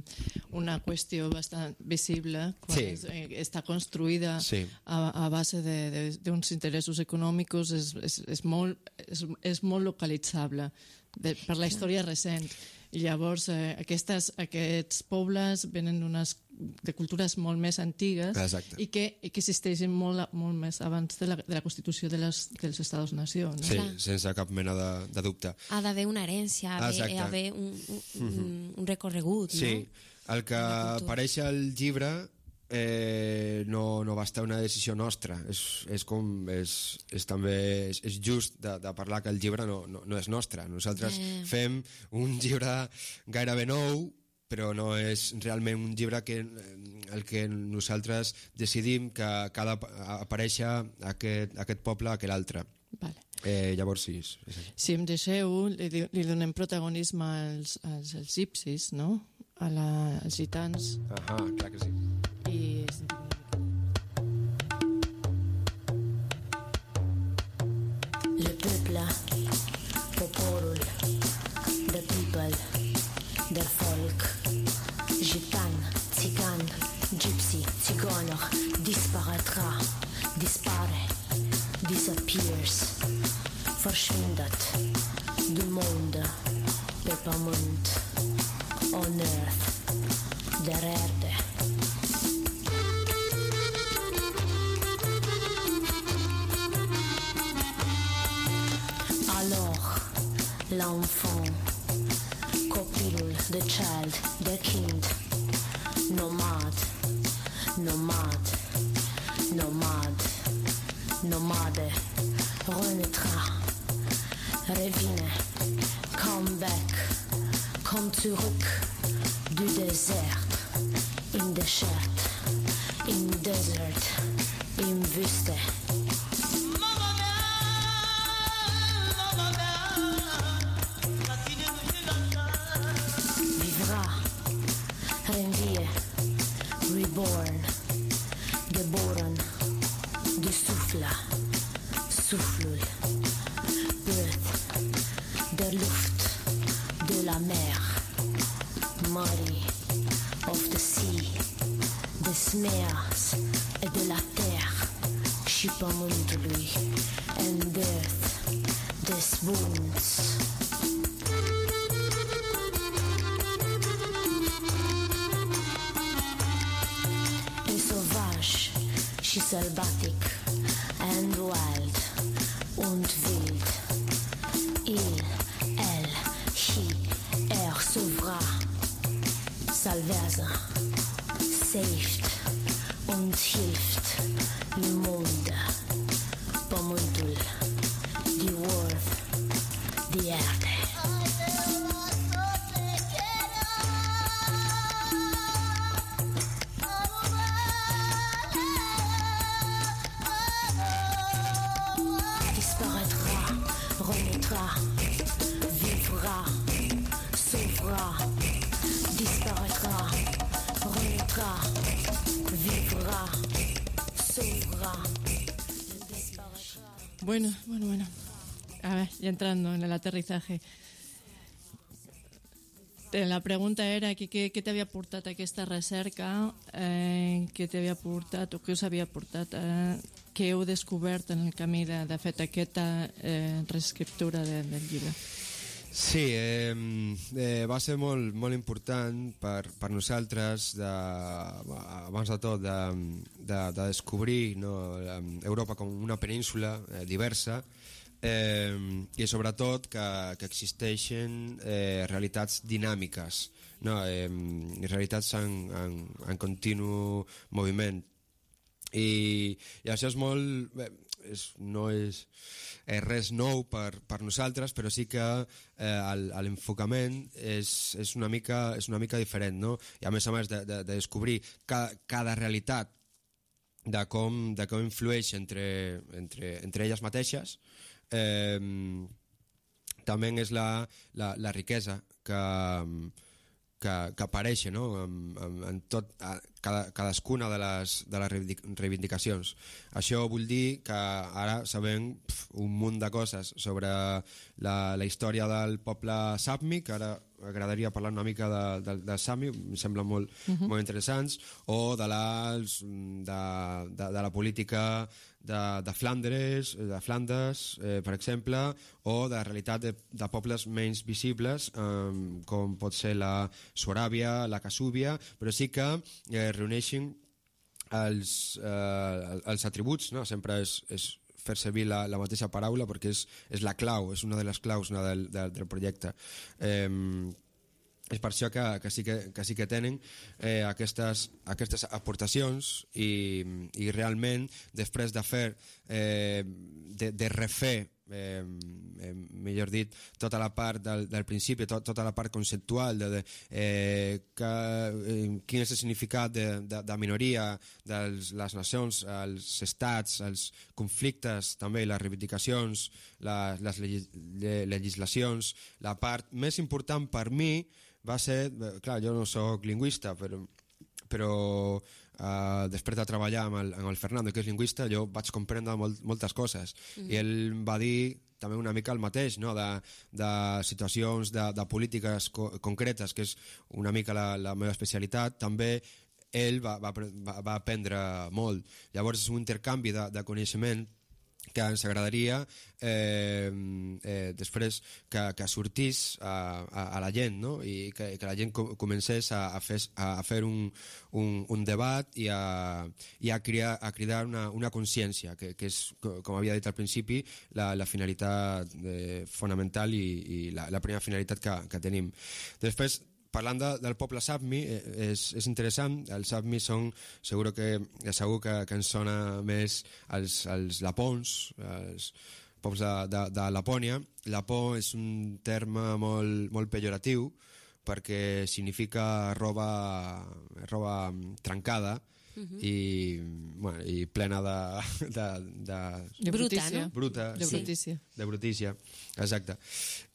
una qüestió bastant visible quan Sí. és, eh, està construïda Sí. a, a base de- de- d'uns interessos econòmics, és, és, és, molt, és, és molt localitzable de, per la història recent. I llavors eh, aquestes, aquests pobles venen d'unes de cultures molt més antigues Exacte. i que, i que existeixen molt, a- molt més abans de la, de la constitució de les, dels Estats-nació. No? Sí, Clar. sense cap mena de, de dubte. Ha d'haver una herència, ha Exacte. d'haver un, un, un, un recorregut, Sí, no? el que La cultura. apareix al llibre eh, no, no va estar una decisió nostra. És, és com és, és també és, és just de, de parlar que el llibre no, no, no és nostre. Nosaltres Eh. fem un llibre gairebé nou, però no és realment un llibre que el que nosaltres decidim que, que ha d'aparèixer aquest, aquest poble que l'altre. Vale. Eh, llavors sí, és, és així. Si em deixeu, li, di- li donem protagonisme als, als, als gipsis, no? A la, als gitans. Ahà, clar que sí. I... Le peuple, poporul, the people, der Volk, gitan, țigan, gypsy, țigană, disparaîtra, dispare, disappears, verschwindet, du monde, pe pământ, on earth, der Erde. Alors, l'enfant, copilul, the child, the kind, nomad, nomad, nomad, nomade, renaîtra, revine, come back, come zurück, du désert, in desert, in desert, in Wüste. Vivra, renvie, reborn, geboren, du Souffle, Soufflul, birth, der Luft, de la mer, Mari, of the sea, des meers et de la terre, și pământului, and earth, des wounds. E sauvage și sălbatic, and wild, und wild. Il, el, he, er, sauvera, salvează, saved, und hilft, le monde, pământul, the world, the erde. Disparaîtra, renaîtra, vivra, sauvera. Disparaîtra, renaîtra, vivra, sauvera. Disparaîtra. Bueno, bueno, bueno. A ver, ya entrando en el aterrizaje. Eh, La pregunta era que, què, què t'havia portat aquesta recerca, eh, què t'havia portat o què us havia portat, eh, què heu descobert en el camí de, de fet aquesta eh, reescriptura de, del llibre. Sí, eh, eh, va ser molt, molt important per, per nosaltres, de, abans de tot, de, de, de descobrir, no, Europa com una península eh, diversa, eh, i sobretot que, que existeixen eh, realitats dinàmiques, no, eh, realitats en, en, en continu moviment. I, i això és molt... Bé, és, no és, és res nou per, per nosaltres, però sí que eh, l'enfocament és, és, una mica, és una mica diferent, no? I a més a més de, de, de descobrir cada, cada realitat de com, de com influeix entre, entre, entre elles mateixes, eh, també és la, la, la riquesa que, que, que apareix, no? en, en, en tot, a, cada, cadascuna de les, de les reivindicacions. Això vol dir que ara sabem pf, un munt de coses sobre la, la història del poble Sápmi, que ara m'agradaria parlar una mica de, de, de Sápmi, em semblen molt, uh-huh. molt interessants, o de, les, de, de, de la política de, de Flandres, de Flandes, eh, per exemple, o de la realitat de, de pobles menys visibles, eh, com pot ser la Suaràbia, la Casúbia, però sí que eh, reuneixin els, eh, els atributs, no? Sempre és, és fer servir la, la mateixa paraula perquè és, és la clau, és una de les claus, no, del, del, del projecte. Eh, és per això que, que, sí, que, que sí que tenen eh, aquestes, aquestes aportacions i, i realment després de fer eh, de, de refer eh, eh, millor dit tota la part del, del principi, tot, tota la part conceptual de, de eh, que, eh, quin és el significat de, de, de minoria de les nacions, els estats, els conflictes, també les reivindicacions, la, les legislacions. La part més important per mi va ser, clar, jo no soc lingüista, però, però uh, després de treballar amb el, amb el Fernando, que és lingüista, jo vaig comprendre molt, moltes coses. Mm-hmm. I ell va dir també una mica el mateix, no? de, de situacions, de, de polítiques co concretes, que és una mica la, la meva especialitat, també ell va, va, va, va aprendre molt. Llavors és un intercanvi de, de coneixement que ens agradaria eh, eh, després que, que sortís a, a, a la gent, no? I que, que la gent com, comencés a, a fer, a fer un, un, un debat i a, i a, criar, a cridar una, una consciència, que, que és, com havia dit al principi, la, la finalitat eh, fonamental i, i la, la primera finalitat que, que tenim. Després, parlant de, del poble Sápmi, eh, és, és interessant. Els Sápmi són, segur que, segur que, que ens sona més els, els lapons, els pobles de, de, de Lapònia. Lapó és un terme molt, molt pejoratiu perquè significa roba, roba trencada, uh-huh. i, bueno, i plena de... de, de, de bruta, no? Bruta, de sí, brutícia. De brutícia, exacte.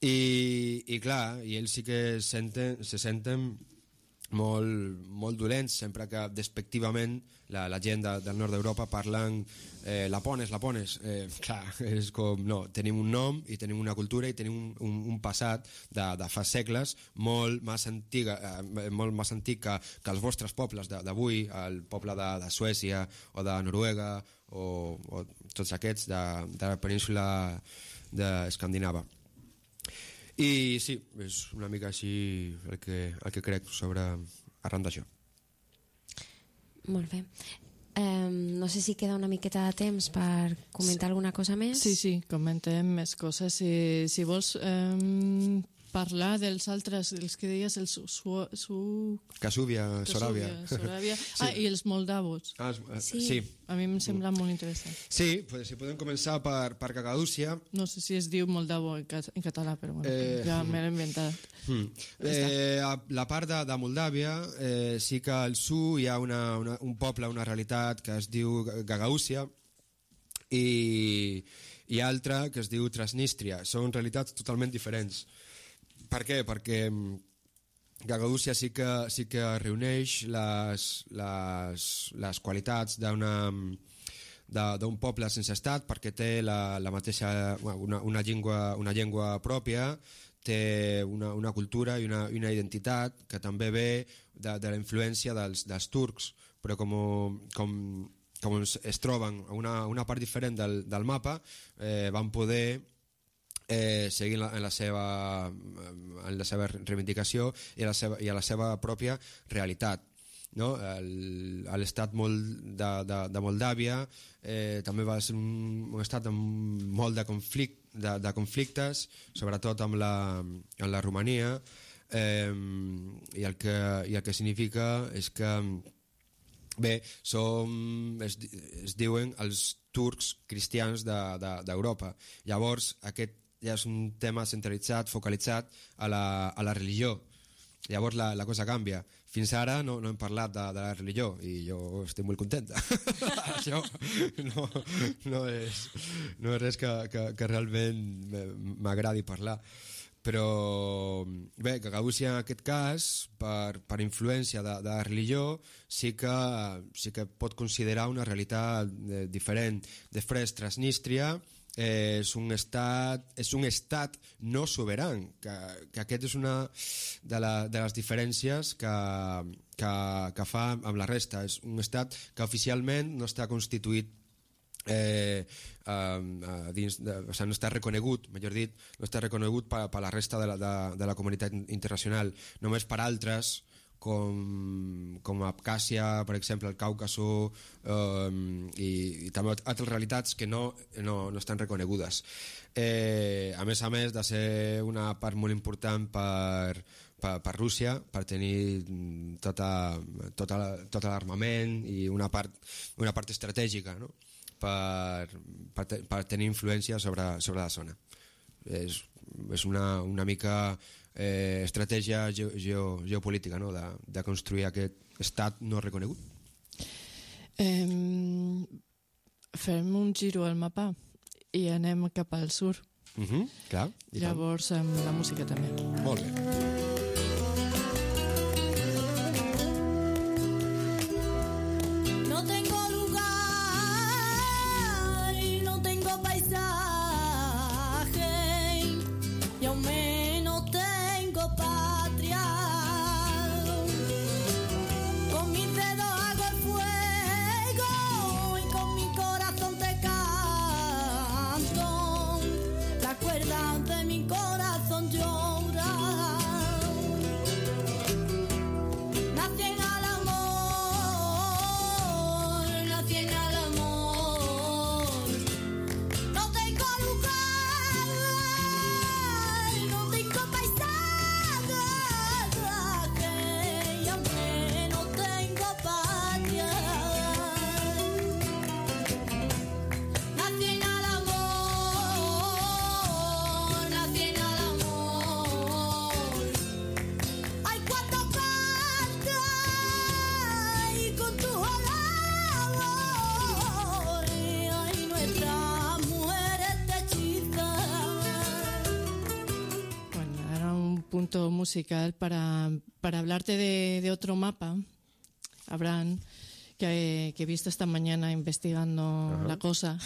I, i clar, i ells sí que senten, se senten molt, molt dolents sempre que despectivament la, la gent de, del nord d'Europa parlen eh, lapones, lapones. Eh, clar, és com, no, tenim un nom i tenim una cultura i tenim un, un, un passat de, de fa segles molt més, antiga, eh, molt més antic que, que els vostres pobles d'avui, el poble de, de Suècia o de Noruega o, o tots aquests de, de la península d'Escandinava. I sí, és una mica així el que, el que crec sobre arran d'això. Molt bé. Um, no sé si queda una miqueta de temps per comentar sí. alguna cosa més. Sí, sí, comentem més coses. Si, si vols um, parlar dels altres, dels que deies, el su... su, su... Casúbia, Soràbia. Soràbia. Sí. Ah, i els moldavos. Ah, sí. sí. A mi em sembla molt interessant. Sí, pues, si podem començar per, per Cagadúcia. No sé si es diu moldavo en, en català, però bueno, eh, ja m'he inventat. Hmm. Eh, a la part de, de Moldàvia eh, sí que al sud hi ha una, una, un poble, una realitat que es diu Gagaúcia i, i altra que es diu Transnistria. Són realitats totalment diferents. Per què? Perquè Gagaúcia sí que, sí que reuneix les, les, les qualitats d'una d'un poble sense estat, perquè té la, la mateixa, una, una, llengua, una llengua pròpia, té una, una cultura i una, una identitat que també ve de, de la influència dels, dels turcs, però com, com, com es, es troben a una, una part diferent del, del mapa, eh, van poder eh, seguir en la, en, la seva, en la seva reivindicació i a la seva, i a la seva pròpia realitat. No? L'estat de, de, de Moldàvia eh, també va ser un, un estat amb molt de, conflict, de, de conflictes, sobretot amb la, amb la Romania, eh, i, el que, i el que significa és que Bé, som, es, es diuen els turcs cristians d'Europa. De, de, Llavors, aquest ja és un tema centralitzat, focalitzat a la, a la religió. Llavors la, la cosa canvia. Fins ara no, no hem parlat de, de la religió i jo estic molt contenta. Això no, no, és, no és res que, que, que realment m'agradi parlar. Però bé, Gagauzia en aquest cas, per, per influència de, de la religió, sí que, sí que pot considerar una realitat eh, diferent. Després, Transnistria eh, és, un estat, és un estat no soberan, que, que aquest és una de, la, de les diferències que, que, que fa amb la resta. És un estat que oficialment no està constituït Eh, eh, dins de, o sigui, no està reconegut, millor dit, no està reconegut per, per la resta de la, de, de la comunitat internacional, només per altres com, com Abkhàzia, per exemple, el Càucaso, eh, i, i també altres realitats que no, no, no estan reconegudes. Eh, a més a més de ser una part molt important per, per, per Rússia, per tenir tota, tota, tota l'armament i una part, una part estratègica, no? Per, per, per tenir influència sobre, sobre la zona. És, és una, una mica eh, estratègia ge, ge, geopolítica, no? de, de construir aquest estat no reconegut. Eh, fem un giro al mapa i anem cap al sur. Uh-huh, clar, llavors amb la música també. Molt bé. Punto musical para, para hablarte de, de otro mapa, Abraham, que, que he visto esta mañana investigando uh-huh. la cosa.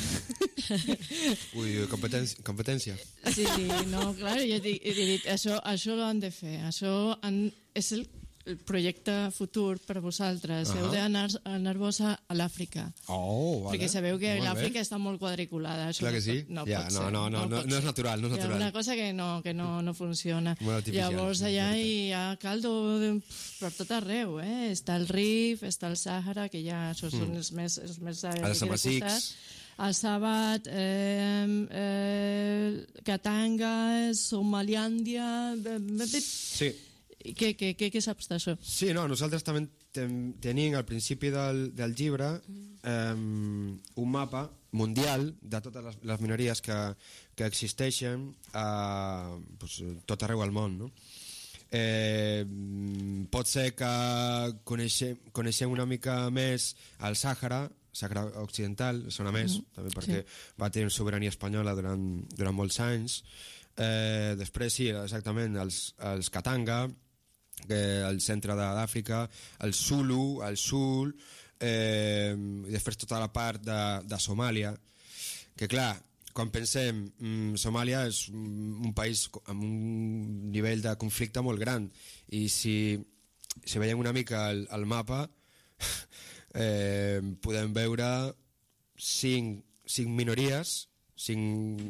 Ui, competència. competència. Sí, sí, no, clar, jo he dit, això, això ho han de fer, això han, és el, el projecte futur per vosaltres, uh-huh. heu d'anar-vos a l'Àfrica. Oh, vale. Perquè sabeu que l'Àfrica està molt quadriculada. Això clar que sí? No, ja, pot no, ser, no, no, no, no és natural. No és natural. Hi ha una cosa que no, que no, no funciona. Llavors allà hi ha caldo de, per tot arreu. Eh? Està el Rif, està el Sàhara, que ja això són mm. els més... Els més els Samasics. El Sabat, eh, eh, Katanga, Somaliàndia... Sí. Què, què, què, què saps d'això? Sí, no, nosaltres també ten, tenim al principi del, del llibre eh, un mapa mundial de totes les, les minories que, que existeixen a pues, tot arreu al món, no? Eh, pot ser que coneixem, coneixem una mica més el Sàhara, Sàhara Occidental, sona més, mm, també perquè sí. va tenir sobirania espanyola durant, durant molts anys. Eh, després sí, exactament, els, els Katanga, eh, el centre d'Àfrica, el Zulu, el Sul, eh, i després tota la part de, de Somàlia, que clar, quan pensem, mm, Somàlia és un país amb un nivell de conflicte molt gran, i si, si veiem una mica el, el mapa, eh, podem veure cinc, cinc minories, cinc,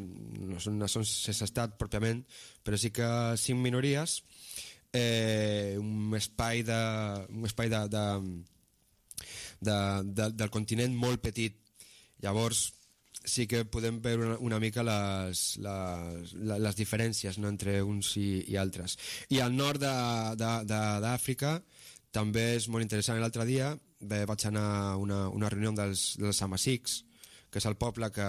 no són nacions sense estat pròpiament, però sí que cinc minories, eh, un espai de, un espai de, de, de, de, del continent molt petit. Llavors sí que podem veure una, una mica les, les, les diferències, no, entre uns i, i altres. I al nord d'Àfrica també és molt interessant. L'altre dia bé, vaig anar a una, una reunió dels, dels Amasics, que és el poble que,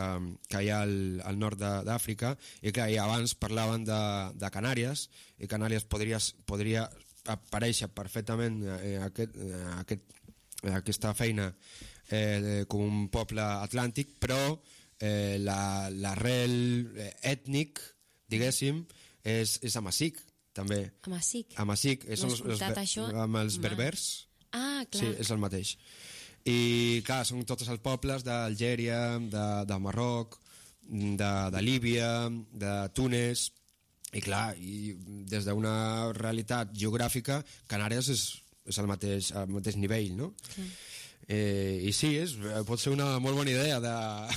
que hi ha al, al nord d'Àfrica, i que i abans parlaven de, de Canàries, i Canàries podria, podria aparèixer perfectament eh, aquest, eh, aquest, eh, aquesta feina eh, com un poble atlàntic, però eh, l'arrel la, ètnic, diguéssim, és, és Amasic, també. Amasic? Amasic. No has escoltat això? Amb els berbers. Ah, clar. Sí, és el mateix. I clar, són tots els pobles d'Algèria, de, de Marroc, de, de Líbia, de Túnez, i clar, i des d'una realitat geogràfica, Canàries és, és el mateix, al mateix nivell, no? Sí. Eh, I sí, és, pot ser una molt bona idea de,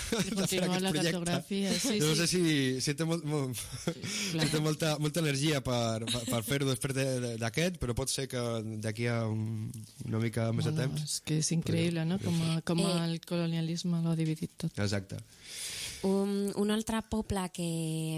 de, de fer aquest la projecte. cartografia, sí, no sí. sé si, si té, molt, molt, sí, si té molta, molta energia per, per, per fer-ho després d'aquest, però pot ser que d'aquí a un, una mica més bueno, de temps. És que és increïble, no? Com, a, com Eh. el colonialisme l'ha dividit tot. Exacte. Un, un altre poble que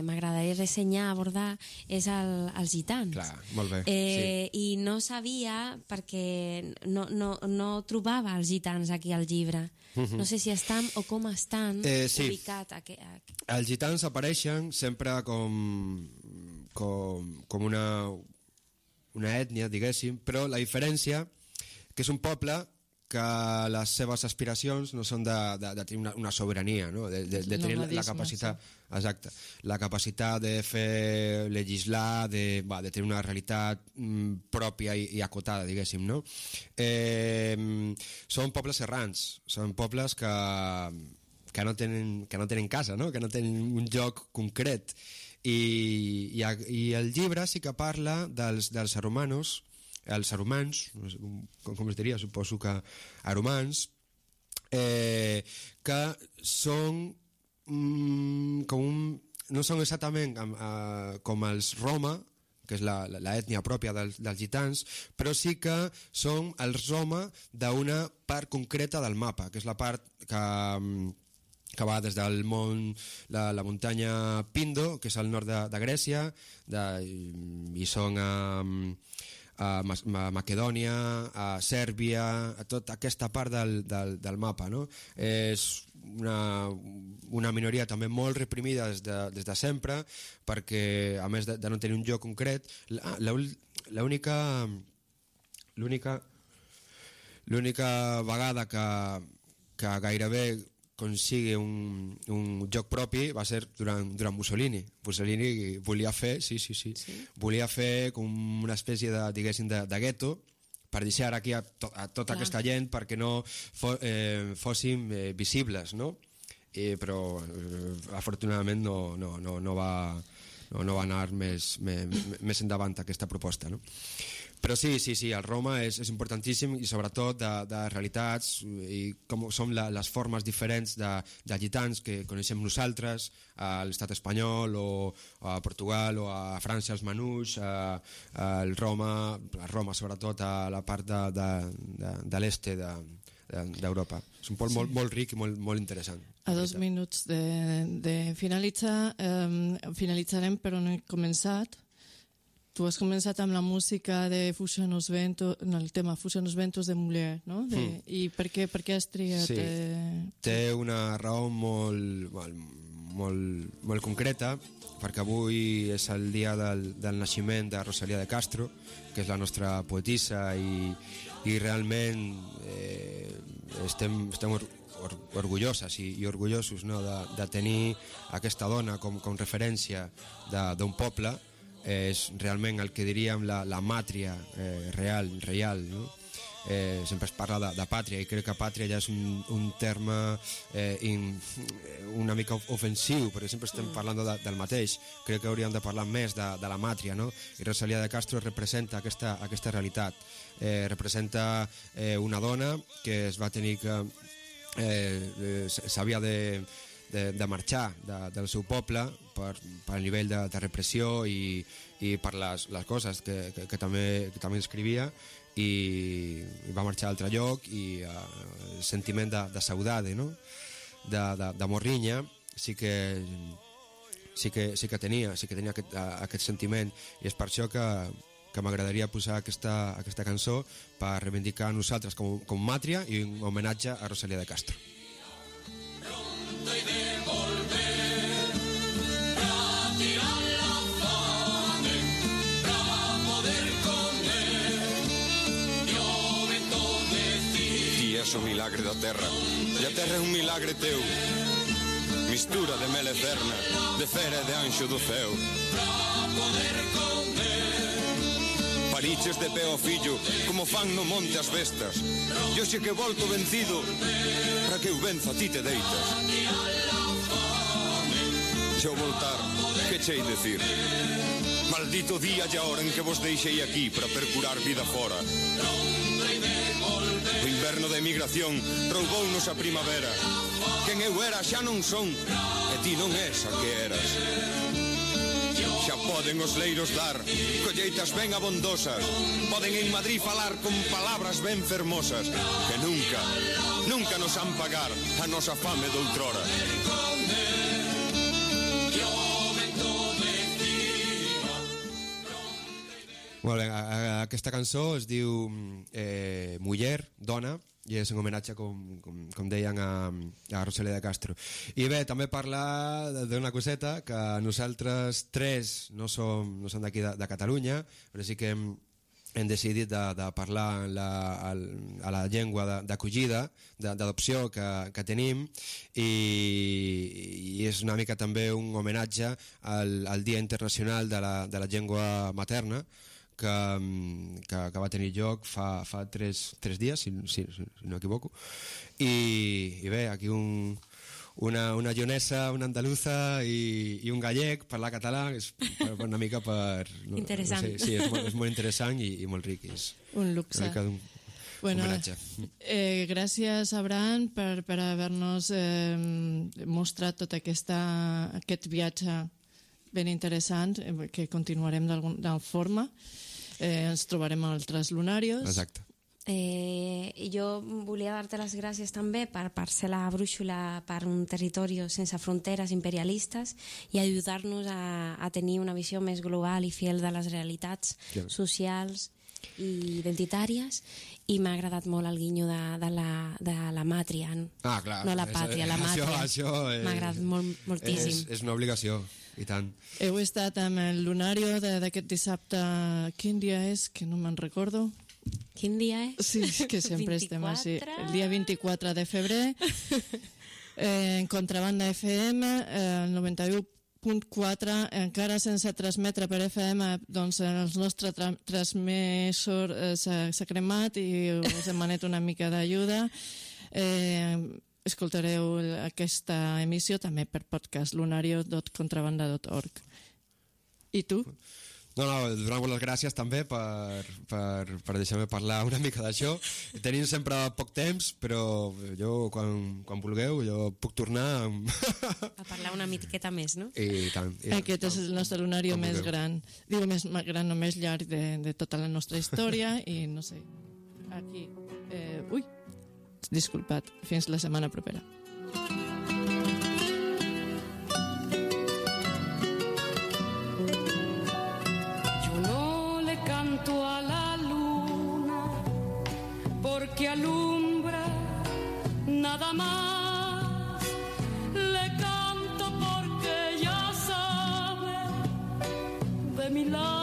m'agradaria ressenyar, abordar, és el, els gitans. Clar, molt bé, Eh, sí. I no sabia, perquè no, no, no trobava els gitans aquí al llibre. No sé si estan o com estan Eh, sí. ubicats. Aquí, aquí. Els gitans apareixen sempre com, com, com una, una ètnia, diguéssim, però la diferència que és un poble que les seves aspiracions no són de, de, de tenir una, una sobirania, no? de, de, de tenir la, la capacitat, sí. Exacte, la capacitat de fer legislar, de, va, de tenir una realitat mm, pròpia i, i acotada, diguéssim, no? Eh, són pobles errants, són pobles que, que, no tenen, que no tenen casa, no? Que no tenen un lloc concret, i, i, i el llibre sí que parla dels, dels romanos, els aromans, com, com es diria, suposo que aromans, eh, que són mm, com un, no són exactament eh, com els Roma, que és l'ètnia pròpia dels, dels gitans, però sí que són els Roma d'una part concreta del mapa, que és la part que, que va des del món, la, la muntanya Pindo, que és al nord de, de Grècia, de, i són a... a Macedònia, a Sèrbia, a tota aquesta part del, del, del mapa, no? És una, una minoria també molt reprimida des de, des de sempre, perquè a més de, de no tenir un lloc concret, l'única l'única l'única vegada que, que gairebé consigui un, un lloc propi va ser durant, durant Mussolini. Mussolini volia fer, sí, sí, sí, sí. volia fer com una espècie de, diguéssim, de, de gueto per deixar aquí a, to, a tota Clar. Aquesta gent perquè no fo, eh, fóssim eh, visibles, no? I, però eh, afortunadament no, no, no, no, va, no, no va anar més, més, més endavant aquesta proposta, no? Però sí, sí, sí, el Roma és, és importantíssim, i sobretot de, de realitats i com són la, les formes diferents de, de gitans que coneixem nosaltres a l'estat espanyol o a Portugal o a França els Manús, a, a el Roma, a Roma sobretot a la part de, de, de, de l'est d'Europa. És un poble sí. molt, molt ric i molt, molt interessant. A dos minuts de, de finalitzar, eh, finalitzarem però no he començat. Tu has començat amb la música de Fusionos Ventos, el tema Fusionos Ventos de Muller, no? De, mm. I per què, per què has triat? Sí. Eh... Té una raó molt, molt, molt, molt concreta, perquè avui és el dia del, del naixement de Rosalía de Castro, que és la nostra poetissa, i, i realment eh, estem, estem or, or, orgulloses i, i orgullosos, no? de, de tenir aquesta dona com, com referència d'un poble. És realment el que diríem la, la màtria eh, real, real, no? Eh, sempre es parla de, de pàtria, i crec que pàtria ja és un, un terme eh, in, una mica ofensiu, perquè sempre estem parlant de, del mateix. Crec que hauríem de parlar més de, de la màtria, no? I Rosalía de Castro representa aquesta, aquesta realitat, eh, representa eh, una dona que es va tenir que eh, s'havia de De, de marxar de, del seu poble per, per el nivell de, de repressió i, i per les, les coses que, que, que, també, que també escrivia, i, i va marxar a altre lloc, i uh, el sentiment de, de saudade, no? de, de, de morrinya sí que, sí que, sí que tenia sí que tenia aquest, uh, aquest sentiment, i és per això que, que m'agradaria posar aquesta, aquesta cançó per reivindicar nosaltres com, com Màtria i un homenatge a Rosalía de Castro. És un milagre da terra e a terra é un milagre teu, mistura de mel eterna, de fera e de anxo do ceo. Pariches de pé ao fillo como fan no monte as bestas, e hoxe que volto vencido para que eu venza ti te deitas. Se ao voltar, que chei decir? Maldito día e a hora en que vos deixei aquí para percurar vida fora. O inverno da emigración roubounos a primavera. Quen eu era xa non son, e ti non és a que eras. Xa poden os leiros dar colleitas ben abondosas, poden en Madrid falar con palabras ben fermosas, que nunca, nunca nos han pagar a nosa fame doutrora. Molt bé, aquesta cançó es diu eh, Muller, dona, i és un homenatge, com, com, com deien, a, a Rosalía de Castro. I bé, també parlar d'una coseta, que nosaltres tres no som, no som d'aquí de, de Catalunya, però sí que hem, hem decidit de, de parlar la, a, a la llengua d'acollida, d'adopció que, que tenim, i, i és una mica també un homenatge al, al Dia Internacional de la, de la Llengua Materna, que, que, que va tenir lloc fa, fa tres, tres dies, si, si, si no m'equivoco. I, I bé, aquí un, una, una lleonesa, una andaluza i, i un gallec parlar català és per, per una mica per... No, interessant. No sé, sí, és molt, és molt interessant i, i molt ric. És un luxe. Una mica d'un bueno, homenatge. Eh, gràcies, Abraham, per, per haver-nos eh, mostrat tot aquesta, aquest viatge ben interessant, eh, que continuarem d'alguna forma. Eh, ens trobarem a altres lunarios. Exacte. Eh, jo volia dar-te les gràcies també per, per ser la brúixola per un territori sense fronteres imperialistes i ajudar-nos a, a tenir una visió més global i fiel de les realitats sí. socials i identitàries, i m'ha agradat molt el guinyo de, de, la, de la màtria, Ah, clar. no la pàtria, la màtria. Això, això m'ha agradat molt, moltíssim. És, és una obligació, i tant. Heu estat amb el lunario d'aquest dissabte. Quin dia és? Que no me'n recordo. Quin dia és? Sí, que sempre estem així. El dia vint-i-quatre de febrer, eh, en Contrabanda F M, eh, el noranta-u punt quatre, encara sense transmetre per F M, doncs el nostre tra transmissor eh, s'ha cremat i us demanet una mica d'ajuda. Eh, escoltareu aquesta emissió també per podcast, lunario punt contrabanda punt org. I tu? No, no, donar-vos les gràcies també per, per, per deixar-me parlar una mica d'això. Tenim sempre poc temps, però jo, quan, quan vulgueu, jo puc tornar a parlar una miqueta més, no? I tant. I Aquest és el nostre lunario més gran. Digo, més gran o més llarg de, de tota la nostra història, i no sé, aquí... Eh, ui, disculpat, fins la setmana propera. A la luna porque alumbra nada más, le canto porque ya sabe de mi lado